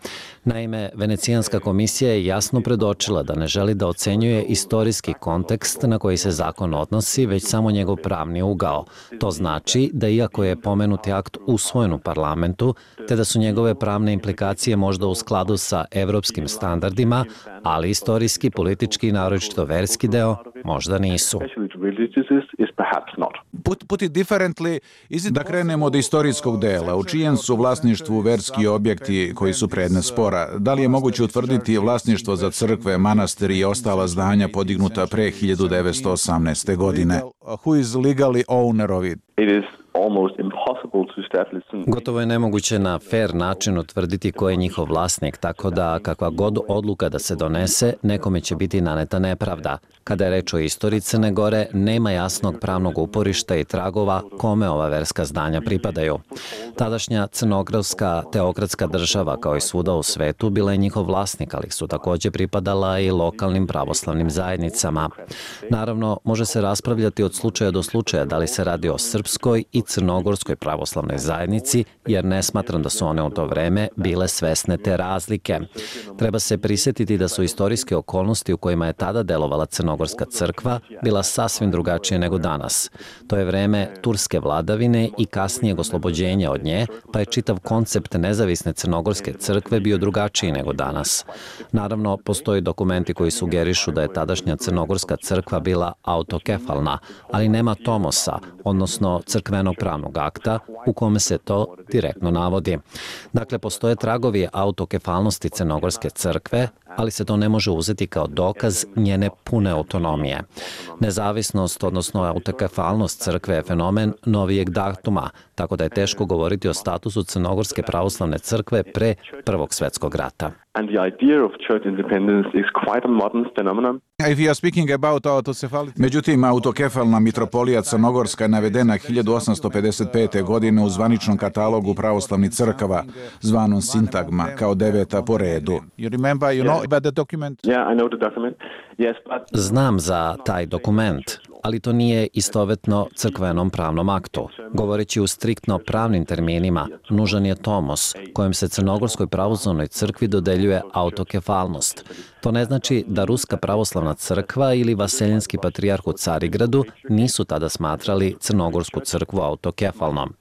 Naime, Venecijanska komisija je jasno predočila da ne želi da ocenjuje istorijski kontekst na koji se zakon odnosi, već samo njegov pravni ugao. To znači da iako je pomenuti akt usvojen u parlamentu, te da su njegove pravne implikacije možda u skladu sa evropskim standardima, ali istorijski, politički i naročito verski deo možda nisu. Da krenemo od istorijskog dela, u čijem su vlasništvu verski objekti koji su predmet spora? Da li je moguće utvrditi vlasništvo za crkve, manastiri i ostala zdanja podignuta pre hiljadu devetsto osamnaeste. godine? Who is legally owner of it? Gotovo je nemoguće na fer način utvrditi ko je njihov vlasnik, tako da kakva god odluka da se donese, nekome će biti naneta nepravda. Kada je reč o istoriji Crne Gore, nema jasnog pravnog uporišta i tragova kome ova verska zdanja pripadaju. Tadašnja crnogorska teokratska država, kao i svuda u svetu, bila je njihov vlasnik, ali su također pripadala i lokalnim pravoslavnim zajednicama. Naravno, može se raspravljati od slučaja do slučaja da li se radi o srpskoj i crnogorskoj pravoslavnoj zajednici, jer ne smatram da su one u to vreme bile svesne te razlike. Treba se prisjetiti da su istorijske okolnosti u kojima je tada delovala Crnogorska crkva bila sasvim drugačije nego danas. To je vreme turske vladavine i kasnijeg oslobođenja od nje, pa je čitav koncept nezavisne Crnogorske crkve bio drugačiji nego danas. Naravno, postoji dokumenti koji sugerišu da je tadašnja Crnogorska crkva bila autokefalna, ali nema tomosa, odnosno crkvenog pravnog akta u kome se to direktno navodi. Dakle, postoje tragovi autokefalnosti Crnogorske crkve, ali se to ne može uzeti kao dokaz njene pune autonomije. Nezavisnost, odnosno autokefalnost crkve je fenomen novijeg datuma, tako da je teško govoriti o statusu Crnogorske pravoslavne crkve pre Prvog svjetskog rata. Međutim, autokefalna mitropolija Crnogorska je navedena hiljadu osamsto pedeset pete. godine u zvaničnom katalogu pravoslavnih crkava, zvanom Sintagma, kao deveta po redu. Znam za taj dokument, ali to nije istovetno crkvenom pravnom aktu. Govoreći u striktno pravnim terminima, nužan je tomos kojim se Crnogorskoj pravoslavnoj crkvi dodeljuje autokefalnost. To ne znači da Ruska pravoslavna crkva ili Vaseljenski patrijarh u Carigradu nisu tada smatrali Crnogorsku crkvu autokefalnom.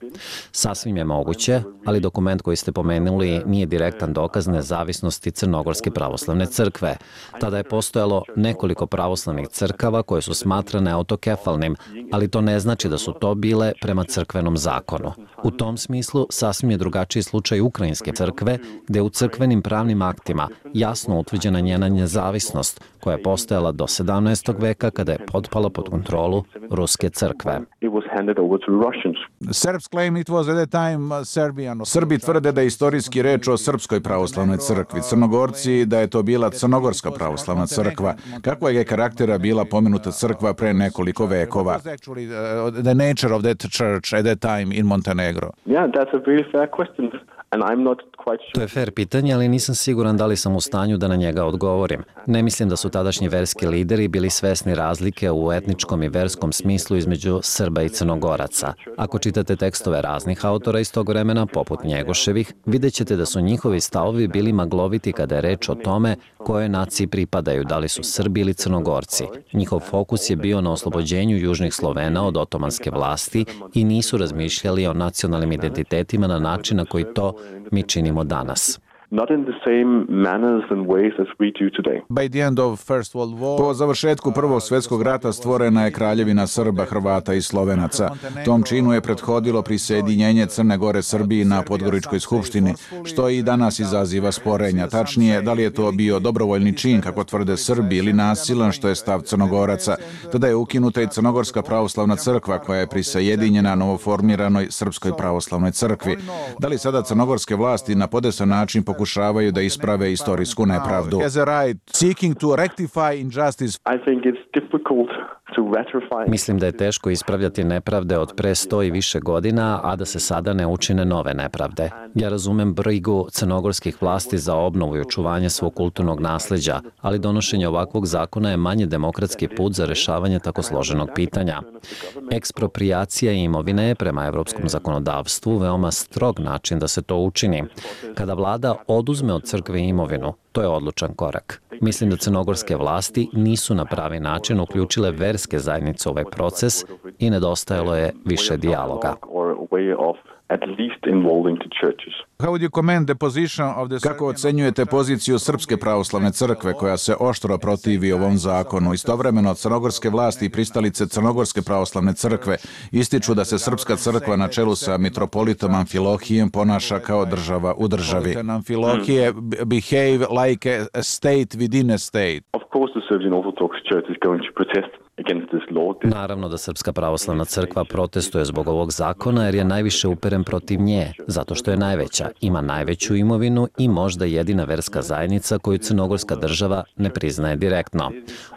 Sasvim je moguće, ali dokument koji ste pomenuli nije direktan dokaz nezavisnosti Crnogorske pravoslavne crkve. Tada je postojalo nekoliko pravoslavnih crkava koje su smatrane autokefalnom autokefalnim, ali to ne znači da su to bile prema crkvenom zakonu. U tom smislu sasvim je drugačiji slučaj Ukrajinske crkve, gde u crkvenim pravnim aktima jasno utvrđena njena nezavisnost, koja je postojala do sedamnaestog veka kada je potpala pod kontrolu Ruske crkve. Srbi tvrde da je istorijski reč o Srpskoj pravoslavnoj crkvi, Crnogorci da je to bila Crnogorska pravoslavna crkva. Kakva je karaktera bila pomenuta crkva pre nekoliko vekova? The nature of that church at that time in Montenegro. Yeah, that's a very fair question. And I'm not quite sure. To je fair pitanje, ali nisam siguran da li sam u stanju da na njega odgovorim. Ne mislim da su tadašnji verski lideri bili svesni razlike u etničkom i verskom smislu između Srba i Crnogoraca. Ako čitate tekstove raznih autora iz tog vremena, poput Njegoševih, vidjet ćete da su njihovi stavovi bili magloviti kada je reč o tome koje naciji pripadaju, da li su Srbi ili Crnogorci. Njihov fokus je bio na oslobođenju južnih Slovena od otomanske vlasti i nisu razmišljali o nacionalnim identitetima na način na koji to mi činimo danas. Not in the same manners and ways as we do today. By the end of First World War, po završetku Prvog svjetskog rata stvorena je kraljevina Srba, Hrvata i Slovenaca. Tom činu je prethodilo prisjedinjenje Crne Gore Srbiji na Podgoričkoj skupštini, što i danas izaziva sporenja. Tačnije, da li je to bio dobrovoljni čin, kako tvrde Srbi, ili nasilan, što je stav Crnogoraca. Tada je ukinuta i Crnogorska pravoslavna crkva, koja je prisjedinjena novoformiranoj Srpskoj pravoslavnoj crkvi. Da li sada crnogorske vlasti na podesan način pokušavaju da isprave istorijsku nepravdu? Mislim da je teško ispravljati nepravde od pre sto i više godina, a da se sada ne učine nove nepravde. Ja razumem brigu crnogorskih vlasti za obnovu i očuvanje svog kulturnog nasleđa, ali donošenje ovakvog zakona je manje demokratski put za rešavanje tako složenog pitanja. Ekspropriacija imovine je prema evropskom zakonodavstvu veoma strog način da se to učini. Kada vlada oduzme od crkve imovinu, to je odlučan korak. Mislim da crnogorske vlasti nisu na pravi način uključile verske zajednice u ovaj proces i nedostajalo je više dijaloga. Kako ocenjujete poziciju Srpske pravoslavne crkve koja se oštro protivi ovom zakonu? Istovremeno crnogorske vlasti i pristalice Crnogorske pravoslavne crkve ističu da se Srpska crkva na čelu sa mitropolitom Amfilohijem ponaša kao država u državi. Amfilohije behave like a state within a state. Of course the Serbian Orthodox Church is going to protest against this law. Naravno da Srpska pravoslavna crkva protestuje zbog ovog zakona jer je najviše uperen protiv nje, zato što je najveća, ima najveću imovinu i možda jedina verska zajednica koju crnogorska država ne priznaje direktno.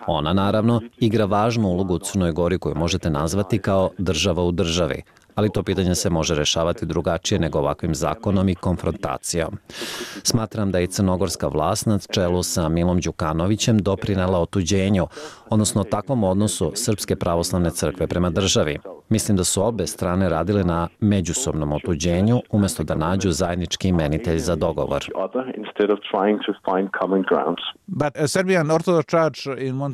Ona, naravno, igra važnu ulogu u Crnoj Gori koju možete nazvati kao država u državi, ali to pitanje se može rešavati drugačije nego ovakvim zakonom i konfrontacijom. Smatram da je crnogorska vlast na čelu sa Milom Đukanovićem doprinela otuđenju, odnosno takvom odnosu Srpske pravoslavne crkve prema državi. Mislim da su obe strane radile na međusobnom otuđenju umjesto da nađu zajednički imenitelj za dogovor.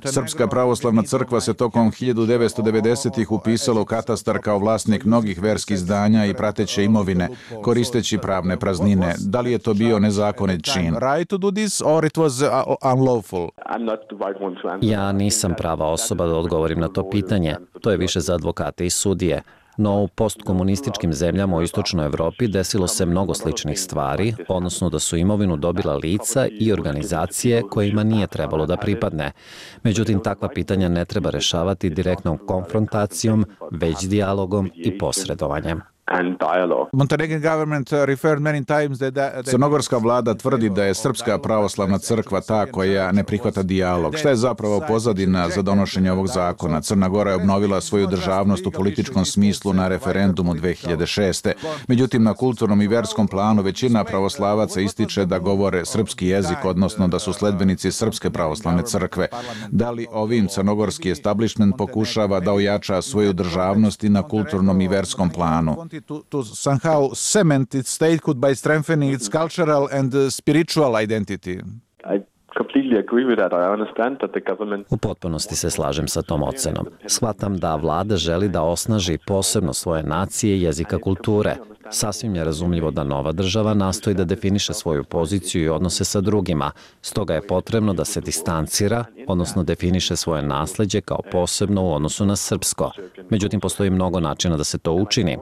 Srpska pravoslavna crkva se tokom hiljadu devetsto devedesetih upisala u katastar kao vlasnik mnogih verskih zdanja i prateće imovine, koristeći pravne praznine. Da li je to bio nezakonit čin? Ja nisam prava osoba da odgovorim na to pitanje. To je više za advokate i sudije. No u postkomunističkim zemljama u istočnoj Evropi desilo se mnogo sličnih stvari, odnosno da su imovinu dobila lica i organizacije kojima nije trebalo da pripadne. Međutim, takva pitanja ne treba rešavati direktnom konfrontacijom, već dijalogom i posredovanjem. Crnogorska vlada tvrdi da je Srpska pravoslavna crkva ta koja ne prihvata dijalog. Šta je zapravo pozadina za donošenje ovog zakona? Crna Gora je obnovila svoju državnost u političkom smislu na referendumu dve hiljade šeste. Međutim, na kulturnom i verskom planu većina pravoslavaca ističe da govore srpski jezik, odnosno da su sledbenici Srpske pravoslavne crkve. Da li ovim crnogorski establishment pokušava da ojača svoju državnost i na kulturnom i verskom planu? To, to somehow cement its statehood by strengthening its cultural and spiritual identity. I completely agree with that. I understand that the government... U potpunosti se slažem sa tom ocenom. Shvatam da vlada želi da osnaži posebno svoje nacije, jezika, kulture. Sasvim je razumljivo da nova država nastoji da definiše svoju poziciju i odnose sa drugima, stoga je potrebno da se distancira, odnosno definiše svoje nasleđe kao posebno u odnosu na srpsko. Međutim, postoji mnogo načina da se to učini.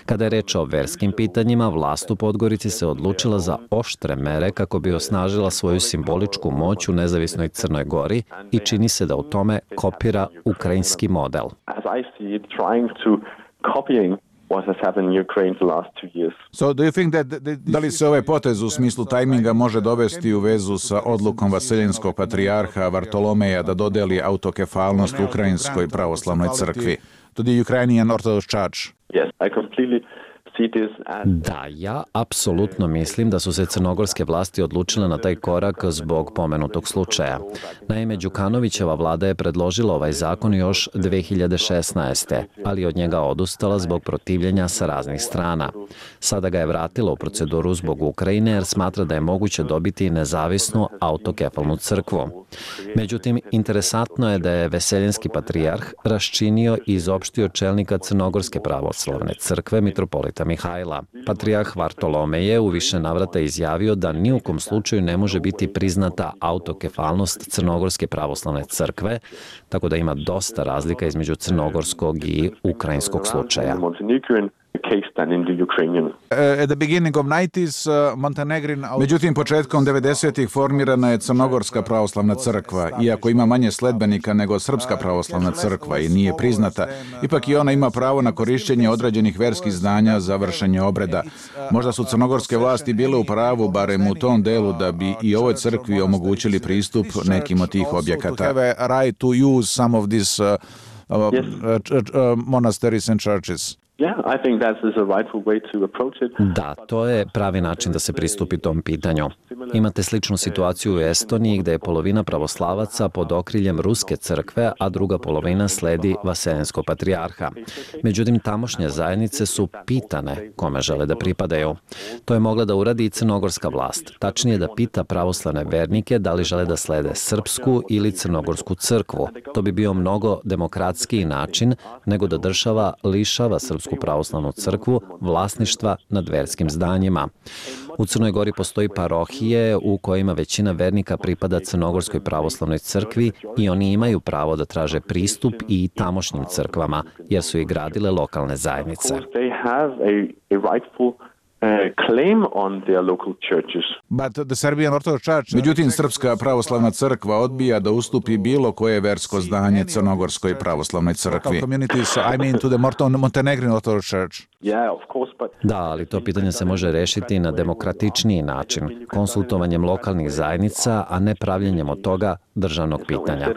Kada je reč o verskim pitanjima, vlast u Podgorici se odlučila za oštre mere kako bi osnažila svoju simboličku moć u nezavisnoj Crnoj Gori i čini se da u tome kopira ukrajinski model. So, do you think that, da li se ovaj potez u smislu tajminga može dovesti u vezu sa odlukom vaseljenskog patrijarha Vartolomeja da dodeli autokefalnost Ukrajinskoj pravoslavnoj crkvi? To the Ukrainian Orthodox Church? Yes, I completely Da, ja apsolutno mislim da su se crnogorske vlasti odlučile na taj korak zbog pomenutog slučaja. Naime, Đukanovićeva vlada je predložila ovaj zakon još dve hiljade šesnaeste. ali od njega odustala zbog protivljenja sa raznih strana. Sada ga je vratila u proceduru zbog Ukrajine jer smatra da je moguće dobiti nezavisnu autokefalnu crkvu. Međutim, interesantno je da je Veseljenski patrijarh raščinio i izopštio čelnika Crnogorske pravoslavne crkve, mitropolita Mihajla. Patrijarh Vartolomej je u više navrata izjavio da ni u kom slučaju ne može biti priznata autokefalnost Crnogorske pravoslavne crkve, tako da ima dosta razlika između crnogorskog i ukrajinskog slučaja. At the beginning of nineties, uh, Montenegrin... Međutim, početkom devedesetih formirana je Crnogorska pravoslavna crkva. Iako ima manje sledbenika nego Srpska pravoslavna crkva i nije priznata, ipak i ona ima pravo na korišćenje određenih verskih zdanja za vršenje obreda. Možda su crnogorske vlasti bile u pravu, barem u tom delu, da bi i ovoj crkvi omogućili pristup nekim od tih objekata. Have a right to use some of these uh, uh, uh, uh, monasteries and churches. Da, to je pravi način da se pristupi tom pitanju. Imate sličnu situaciju u Estoniji gde je polovina pravoslavaca pod okriljem Ruske crkve, a druga polovina sledi Vaseljenskog patrijarha. Međutim, tamošnje zajednice su pitane kome žele da pripadaju. To je mogla da uradi i crnogorska vlast. Tačnije da pita pravoslavne vernike da li žele da slede srpsku ili crnogorsku crkvu. To bi bio mnogo demokratskiji način nego da država lišava srpsku pravoslavnu crkvu vlasništva nad verskim zdanjima. U Crnoj Gori postoji parohije u kojima većina vernika pripada Crnogorskoj pravoslavnoj crkvi i oni imaju pravo da traže pristup i tamošnjim crkvama, jer su ih gradile lokalne zajednice. But the Serbian Orthodox Church... Međutim, Srpska pravoslavna crkva odbija da ustupi bilo koje versko zdanje Crnogorskoj pravoslavnoj crkvi. I mean to the Montenegrin Orthodox Church. Da, ali to pitanje se može rešiti na demokratičniji način, konsultovanjem lokalnih zajednica, a ne pravljenjem od toga državnog pitanja.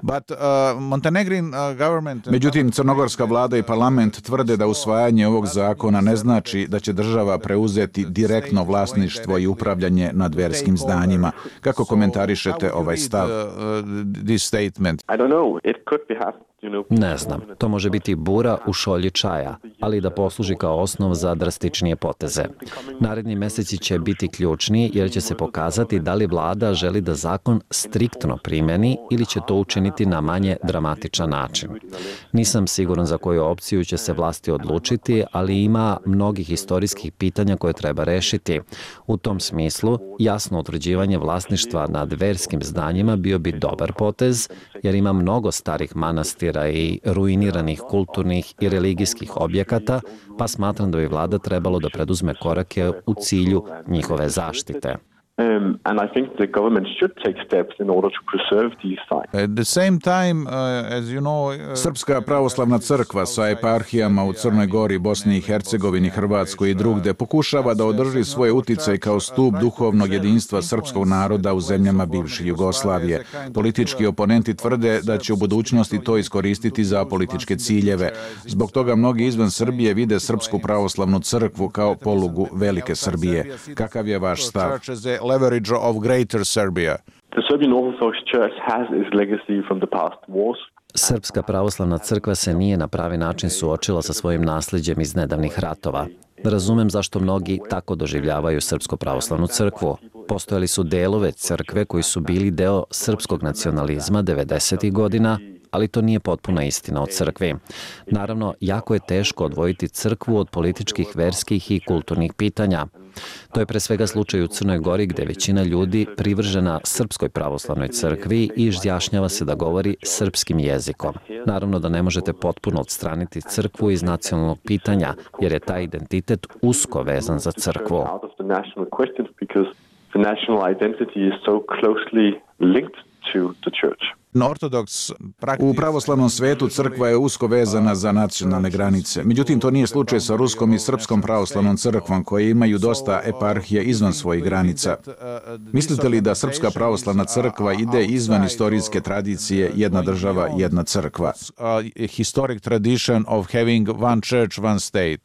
But, uh, Montenegrin, uh, government... Međutim, crnogorska vlada i parlament tvrde da usvajanje ovog zakona ne znači da će država preuzeti direktno vlasništvo i upravljanje nad verskim zdanjima. Kako komentarišete ovaj stav? This statement. Ne znam, to može biti bura u šolji čaja, ali da posluži kao osnov za drastičnije poteze. Naredni meseci će biti ključni jer će se pokazati da li vlada želi da zakon striktno primjeni ili će to učiniti na manje dramatičan način. Nisam siguran za koju opciju će se vlasti odlučiti, ali ima mnogih istorijskih pitanja koje treba rešiti. U tom smislu, jasno utvrđivanje vlasništva nad verskim zdanjima bio bi dobar potez, jer ima mnogo starih manastira i ruiniranih kulturnih i religijskih objekata, pa smatram da bi vlada trebalo da preduzme korake u cilju njihove zaštite. Um, and I think the government should take steps in order to preserve these sites. At the same time, uh, as you know, uh, Srpska pravoslavna crkva sa eparhijama u Crnoj Gori, Bosni i Hercegovini, Hrvatskoj i drugde pokušava da održi svoj uticaj kao stup duhovnog jedinstva srpskog naroda u zemljama bivše Jugoslavije. Politički oponenti tvrde da će u budućnosti to iskoristiti za političke ciljeve. Zbog toga mnogi izvan Srbije vide Srpsku pravoslavnu crkvu kao polugu velike Srbije. Kakav je vaš stav? Leverage of Greater Serbia. The Serbian Orthodox Church has its legacy from the past wars. Srpska pravoslavna crkva se nije na pravi način suočila sa svojim nasljeđem iz nedavnih ratova. Razumem zašto mnogi tako doživljavaju Srpsku pravoslavnu crkvu. Postojali su delove crkve koji su bili deo srpskog nacionalizma devedesetih godina, ali to nije potpuna istina o crkvi. Naravno, jako je teško odvojiti crkvu od političkih, verskih i kulturnih pitanja. To je pre svega slučaj u Crnoj Gori gde većina ljudi privržena Srpskoj pravoslavnoj crkvi i izjašnjava se da govori srpskim jezikom. Naravno da ne možete potpuno odstraniti crkvu iz nacionalnog pitanja, jer je taj identitet usko vezan za crkvu. Ortodoks, u pravoslavnom svetu crkva je usko vezana za nacionalne granice. Međutim, to nije slučaj sa Ruskom i Srpskom pravoslavnom crkvom, koje imaju dosta eparhija izvan svojih granica. Mislite li da Srpska pravoslavna crkva ide izvan istorijske tradicije jedna država, jedna crkva? Historic tradition of having one church, one state.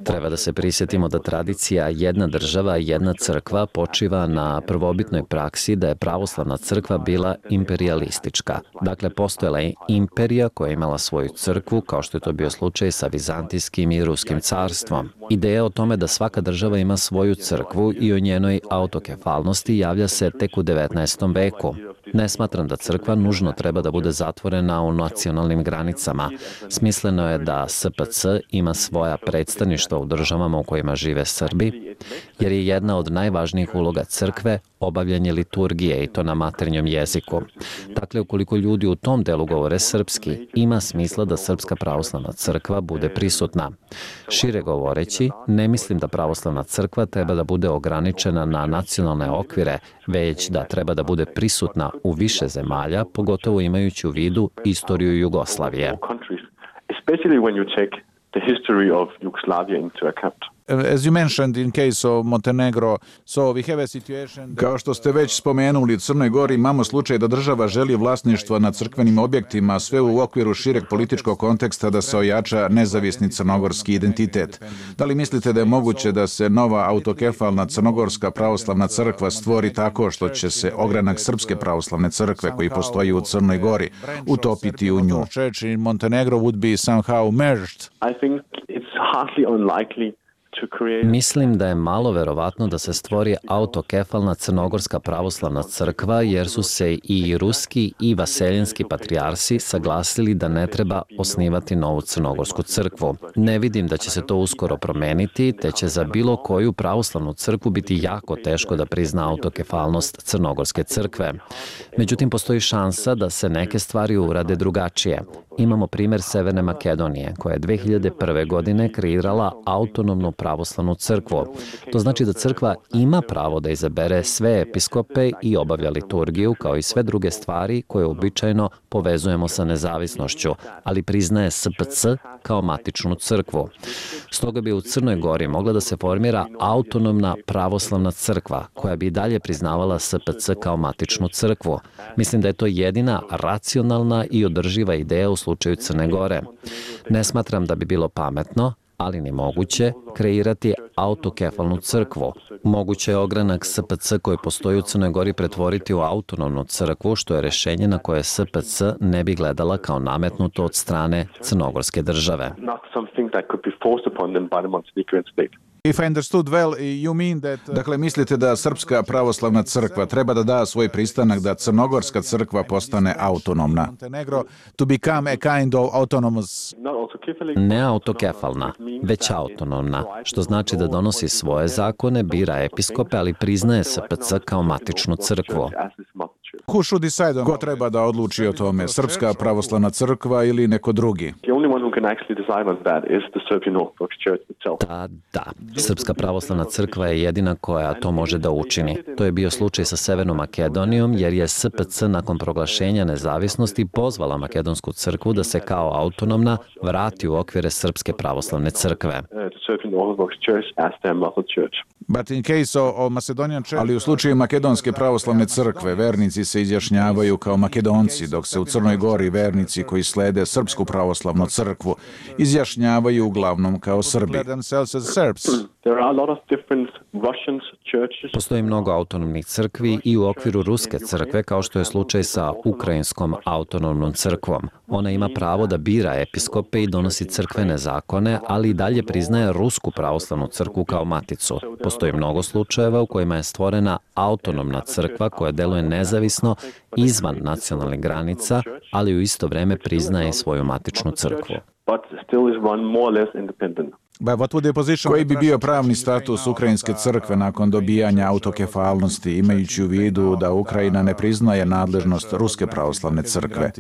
Treba da se prisjetimo da tradicija jedna država, jedna crkva počiva na prvobitnoj praksi da je pravoslavna crkva bila imperijalistička. Dakle, postojala je imperija koja je imala svoju crkvu, kao što je to bio slučaj sa Vizantijskim i Ruskim carstvom. Ideja o tome da svaka država ima svoju crkvu i o njenoj autokefalnosti javlja se tek u devetnaestom veku. Ne smatram da crkva nužno treba da bude zatvorena u nacionalnim granicama. Smisleno je da S P C ima svoja predstavništva u državama u kojima žive Srbi, jer je jedna od najvažnijih uloga crkve obavljanje liturgije i to na maternjem jeziku. Dakle, ukoliko ljudi u tom delu govore srpski, ima smisla da Srpska pravoslavna crkva bude prisutna. Šire govoreći, ne mislim da pravoslavna crkva treba da bude ograničena na nacionalne okvire, već da treba da bude prisutna u više zemalja, pogotovo imajući u vidu istoriju Jugoslavije. As you mentioned in case of Montenegro, so we have a situation... Kao što ste već spomenuli, u Crnoj Gori imamo slučaj da država želi vlasništvo nad crkvenim objektima, sve u okviru šireg političkog konteksta da se ojača nezavisni crnogorski identitet. Da li mislite da je moguće da se nova autokefalna crnogorska pravoslavna crkva stvori tako što će se ogranak Srpske pravoslavne crkve koji postoji u Crnoj Gori utopiti u nju? Church in Montenegro would be somehow merged. I think it's hardly unlikely. Mislim da je malo verovatno da se stvori autokefalna crnogorska pravoslavna crkva, jer su se i ruski i vaseljenski patrijarsi saglasili da ne treba osnivati novu crnogorsku crkvu. Ne vidim da će se to uskoro promeniti, te će za bilo koju pravoslavnu crkvu biti jako teško da prizna autokefalnost crnogorske crkve. Međutim, postoji šansa da se neke stvari urade drugačije. Imamo primer Severne Makedonije, koja je dve hiljade prve. godine kreirala autonomnu pravoslavnu crkvu. To znači da crkva ima pravo da izabere sve episkope i obavlja liturgiju, kao i sve druge stvari koje običajno povezujemo sa nezavisnošću, ali priznaje S P C kao matičnu crkvu. Stoga bi u Crnoj Gori mogla da se formira autonomna pravoslavna crkva, koja bi i dalje priznavala S P C kao matičnu crkvu. Mislim da je to jedina racionalna i održiva ideja u slučaju Crne Gore. Ne smatram da bi bilo pametno, ali ni moguće, kreirati autokefalnu crkvu. Moguće je ogranak S P C koji postoji u Crnoj Gori pretvoriti u autonomnu crkvu, što je rešenje na koje S P C ne bi gledala kao nametnuto od strane crnogorske države. If I understood well, you mean that... Dakle, mislite da Srpska pravoslavna crkva treba da da svoj pristanak da Crnogorska crkva postane autonomna. Montenegro to become a kind of autonomous... Ne autokefalna, već autonomna, što znači da donosi svoje zakone, bira episkope, ali priznaje S P C kao matičnu crkvu. Who should decide on... Ko treba da odluči o tome? Srpska pravoslavna crkva ili neko drugi? Da, da. Srpska pravoslavna crkva je jedina koja to može da učini. To je bio slučaj sa Severnom Makedonijom, jer je S P C nakon proglašenja nezavisnosti pozvala Makedonsku crkvu da se kao autonomna vrati u okvire Srpske pravoslavne crkve. But in case of Macedonian Church... Ali u slučaju Makedonske pravoslavne crkve, vernici se izjašnjavaju kao Makedonci, dok se u Crnoj Gori vernici koji slede Srpsku pravoslavnu crkvu izjašnjavaju uglavnom kao Srbi. Postoji mnogo autonomnih crkvi i u okviru Ruske crkve, kao što je slučaj sa Ukrajinskom autonomnom crkvom. Ona ima pravo da bira episkope i donosi crkvene zakone, ali i dalje priznaje Rusku pravoslavnu crkvu kao maticu. Postoji mnogo slučajeva u kojima je stvorena autonomna crkva koja deluje nezavisno izvan nacionalnih granica, ali u isto vreme priznaje svoju matičnu crkvu. Koji bi bio pravni status Ukrajinske crkve nakon dobijanja autokefalnosti, imajući u vidu da Ukrajina ne priznaje nadležnost Ruske pravoslavne crkve?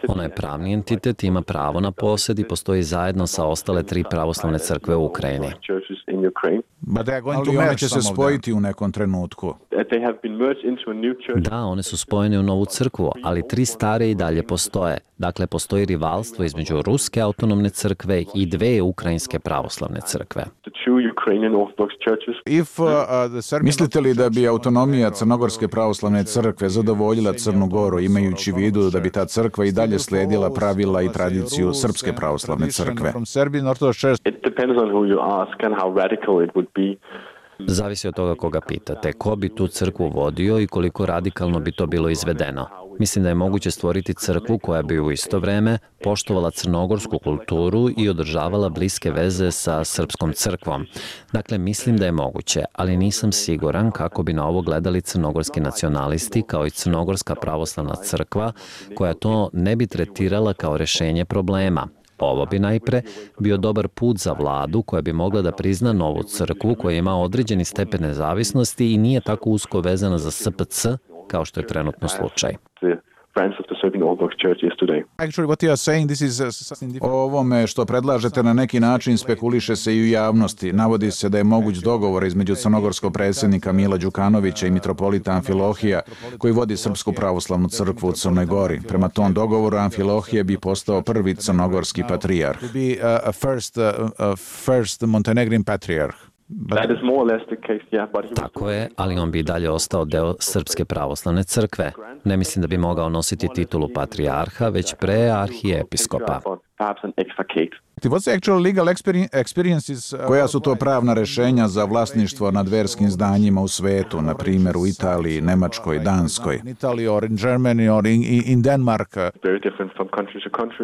Ona je pravni entitet, ima pravo na posjed i postoji zajedno sa ostale tri pravoslavne crkve u Ukrajini. Ali one će se spojiti u nekom trenutku. Da, one su spojene u novu crkvu, ali tri stare i dalje postoje. Dakle, postoji rivalstvo između Ruske autonomne crkve i dve ukrajinske pravoslavne crkve. If, uh, Mislite li da bi autonomija Crnogorske pravoslavne crkve zadovoljila Crnu Goru, imajući u vidu da bi ta crkva i dalje slijedila pravila i tradiciju Srpske pravoslavne crkve? Zavisi od toga koga pitate, ko bi tu crkvu vodio i koliko radikalno bi to bilo izvedeno. Mislim da je moguće stvoriti crkvu koja bi u isto vreme poštovala crnogorsku kulturu i održavala bliske veze sa srpskom crkvom. Dakle, mislim da je moguće, ali nisam siguran kako bi na ovo gledali crnogorski nacionalisti kao i Crnogorska pravoslavna crkva, koja to ne bi tretirala kao rešenje problema. Ovo bi najpre bio dobar put za vladu koja bi mogla da prizna novu crkvu koja ima određeni stepen nezavisnosti i nije tako usko vezana za S P C kao što je trenutno slučaj. O ovome što predlažete na neki način spekuliše se i u javnosti. Navodi se da je moguć dogovor između crnogorskog predsjednika Mila Đukanovića i mitropolita Amfilohija, koji vodi Srpsku pravoslavnu crkvu u Crnoj Gori. Prema tom dogovoru Amfilohije bi postao prvi crnogorski patrijarh. Tako je, ali on bi dalje ostao deo Srpske pravoslavne crkve. Ne mislim da bi mogao nositi titulu patrijarha, već pre arhijepiskopa. Koja su to pravna rešenja za vlasništvo nad verskim zdanjima u svetu, na primjer u Italiji, Nemačkoj, Danskoj?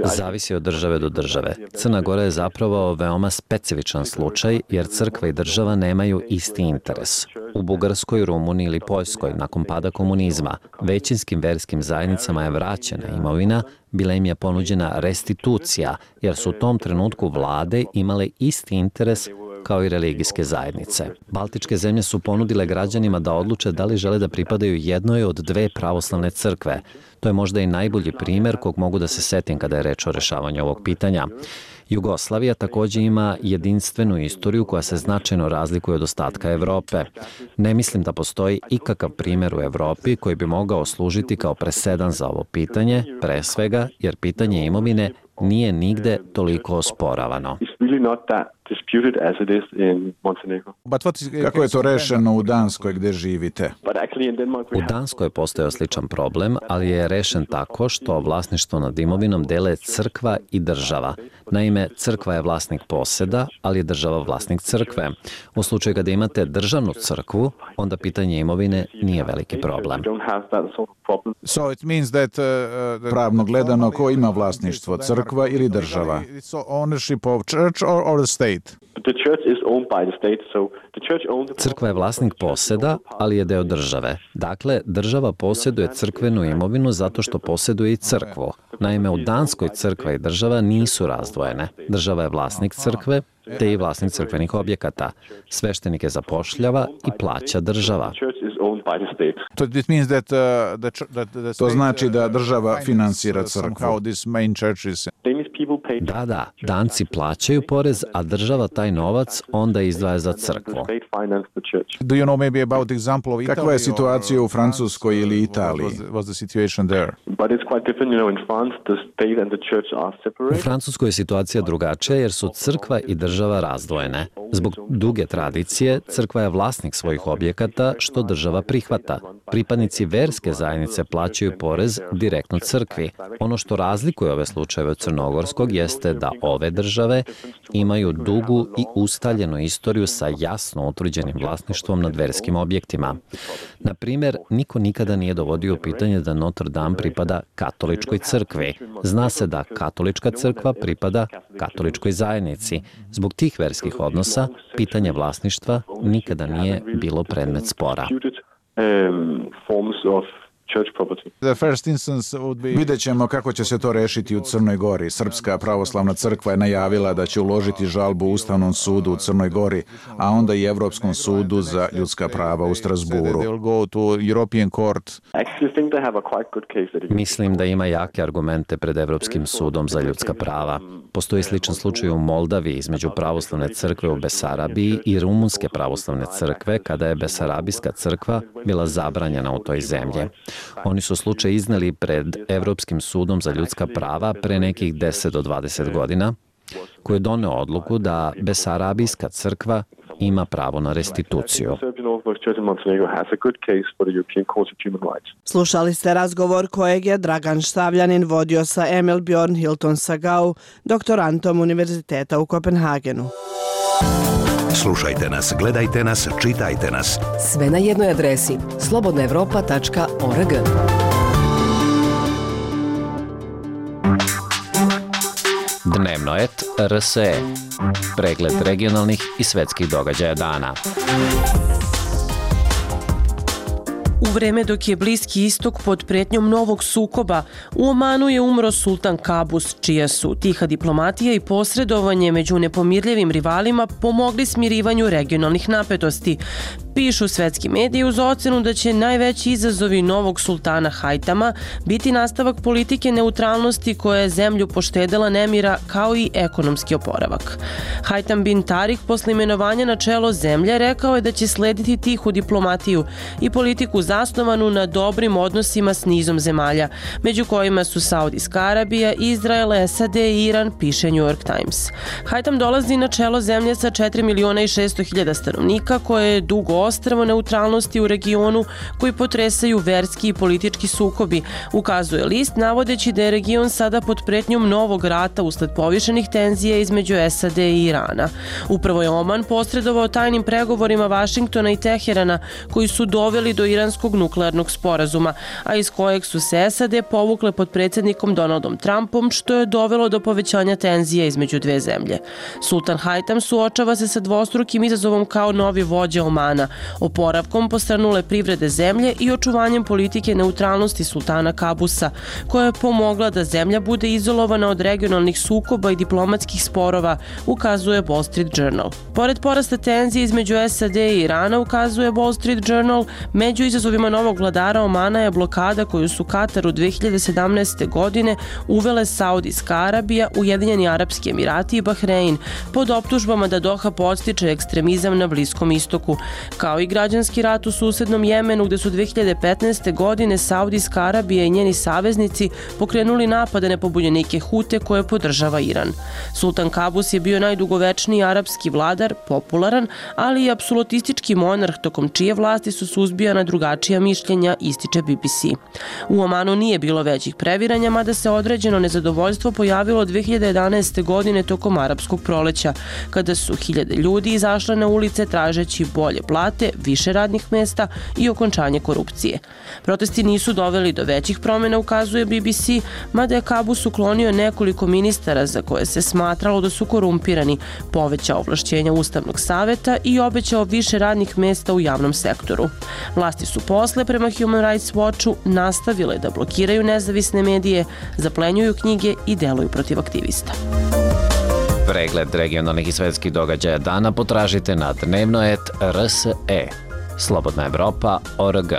Zavisi od države do države. Crna Gora je zapravo veoma specifičan slučaj, jer crkva i država nemaju isti interes. U Bugarskoj, Rumuniji ili Poljskoj, nakon pada komunizma, većinskim verskim zajednicama je vraćena imovina, bila im je ponuđena restitucija, jer su u tom trenutku vlade imale isti interes kao i religijske zajednice. Baltičke zemlje su ponudile građanima da odluče da li žele da pripadaju jednoj od dve pravoslavne crkve. To je možda i najbolji primjer kog mogu da se setim kada je reč o rešavanju ovog pitanja. Jugoslavija također ima jedinstvenu istoriju koja se značajno razlikuje od ostatka Evrope. Ne mislim da postoji ikakav primjer u Evropi koji bi mogao služiti kao presedan za ovo pitanje, pre svega jer pitanje imovine nije nigde toliko osporavano. Kako je to rešeno u Danskoj gdje živite? U Danskoj je postojao sličan problem, ali je rešen tako što vlasništvo nad imovinom dele crkva i država. Naime, crkva je vlasnik poseda, ali je država vlasnik crkve. U slučaju kada imate državnu crkvu, onda pitanje imovine nije veliki problem. So it means that, uh, pravno gledano, ko ima vlasništvo, crkva ili država? Ownership of church or, or the state? Crkva je vlasnik poseda, ali je deo države. Dakle, država posjeduje crkvenu imovinu zato što posjeduje i crkvu. Naime, u Danskoj crkva i država nisu razdvojene. Država je vlasnik crkve, te i vlasnik crkvenih objekata. Sveštenike zapošljava i plaća država. To znači da država finansira crkvu. Da, da, Danci plaćaju porez, a država taj novac onda izdvaja za crkvu. Do you know maybe about example of Italy? Kakva je situacija u Francuskoj ili Italiji? Was the situation there? U Francuskoj je situacija drugačija jer su crkva i država razdvojene. Zbog duge tradicije, crkva je vlasnik svojih objekata, što država prihvata. Pripadnici verske zajednice plaćaju porez direktno crkvi. Ono što razlikuje ove slučajeve od crnogorskog je jeste da ove države imaju dugu i ustaljenu istoriju sa jasno utvrđenim vlasništvom nad verskim objektima. Na primjer, niko nikada nije dovodio pitanje da Notre Dame pripada katoličkoj crkvi. Zna se da katolička crkva pripada katoličkoj zajednici. Zbog tih verskih odnosa, pitanje vlasništva nikada nije bilo predmet spora. Vidjet ćemo kako će se to rešiti u Crnoj Gori. Srpska pravoslavna crkva je najavila da će uložiti žalbu Ustavnom sudu u Crnoj Gori, a onda i Evropskom sudu za ljudska prava u Strasburu. Mislim da ima jake argumente pred Evropskim sudom za ljudska prava. Postoji sličan slučaj u Moldaviji između pravoslavne crkve u Besarabiji i rumunske pravoslavne crkve kada je Besarabijska crkva bila zabranjena u toj zemlji. Oni su slučaj izneli pred Evropskim sudom za ljudska prava pre nekih deset do dvadeset godina, koji je doneo odluku da Besarabijska crkva ima pravo na restituciju. Slušali ste razgovor kojeg je Dragan Štavljanin vodio sa Emil Bjorn Hilton Sagau, doktorantom Univerziteta u Kopenhagenu. Slušajte nas, gledajte nas, čitajte nas. Sve na jednoj adresi slobodna evropa tačka org. Dnevnoet R S E. Pregled regionalnih i svetskih događaja dana. U vreme dok je Bliski istok pod pretnjom novog sukoba, u Omanu je umro sultan Kabus, čija su tiha diplomatija i posredovanje među nepomirljivim rivalima pomogli smirivanju regionalnih napetosti. Pišu svetski mediji uz ocenu da će najveći izazovi novog sultana Hajtama biti nastavak politike neutralnosti koja je zemlju poštedela nemira kao i ekonomski oporavak. Hajtam bin Tarik posle imenovanja na čelo zemlje rekao je da će slediti tihu diplomatiju i politiku zasnovanu na dobrim odnosima s nizom zemalja, među kojima su Saudijska Arabija, Izrael, S A D i Iran, piše New York Times. Hajtam dolazi na čelo zemlje sa četiri miliona i šesto hiljada stanovnika koje je dugo ostrvo neutralnosti u regionu koji potresaju verski i politički sukobi, ukazuje list navodeći da je region sada pod pretnjom novog rata usled povišenih tenzija između S A D i Irana. Upravo je Oman posredovao tajnim pregovorima Vašingtona i Teherana koji su doveli do iranskog nuklearnog sporazuma, a iz kojeg su se S A D povukle pod predsjednikom Donaldom Trumpom, što je dovelo do povećanja tenzija između dve zemlje. Sultan Hajtam suočava se sa dvostrukim izazovom kao novi vođa Omana, oporavkom postranule privrede zemlje i očuvanjem politike neutralnosti sultana Kabusa, koja je pomogla da zemlja bude izolovana od regionalnih sukoba i diplomatskih sporova, ukazuje Wall Street Journal. Pored porasta tenzije između S A D i Irana, ukazuje Wall Street Journal, među izazovima novog vladara Omana je blokada koju su Kataru dve hiljade sedamnaeste. godine uvele Saudijska Arabija, Ujedinjeni Arapski Emirati i Bahrein, pod optužbama da Doha podstiče ekstremizam na Bliskom istoku, kao i građanski rat u susednom Jemenu gde su dve hiljade petnaeste. godine Saudijska Arabija i njeni saveznici pokrenuli napade na pobunjenike Hute koje podržava Iran. Sultan Kabus je bio najdugovečniji arapski vladar, popularan, ali i apsolutistički monarh tokom čije vlasti su suzbijana drugačija mišljenja, ističe B B C. U Omanu nije bilo većih previranja, mada se određeno nezadovoljstvo pojavilo dve hiljade jedanaeste. godine tokom arapskog proleća, kada su hiljade ljudi izašle na ulice tražeći bolje plate, više radnih mesta i okončanje korupcije. Protesti nisu doveli do većih promjena, ukazuje B B C, mada je Kabus uklonio nekoliko ministara za koje se smatralo da su korumpirani, povećao ovlašćenja Ustavnog saveta i obećao više radnih mesta u javnom sektoru. Vlasti su posle, prema Human Rights Watchu, nastavile da blokiraju nezavisne medije, zaplenjuju knjige i deluju protiv aktivista. Pregled regionalnih i svetskih događaja dana potražite na dnevnoet R S E. Slobodna Evropa tačka org.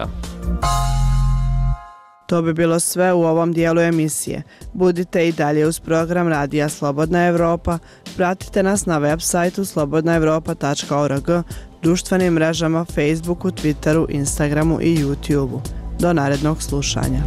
To bi bilo sve u ovom dijelu emisije. Budite i dalje uz program Radija Slobodna Evropa. Pratite nas na web sajtu slobodna evropa tačka org, društvenim mrežama Facebooku, Twitteru, Instagramu i YouTubeu. Do narednog slušanja.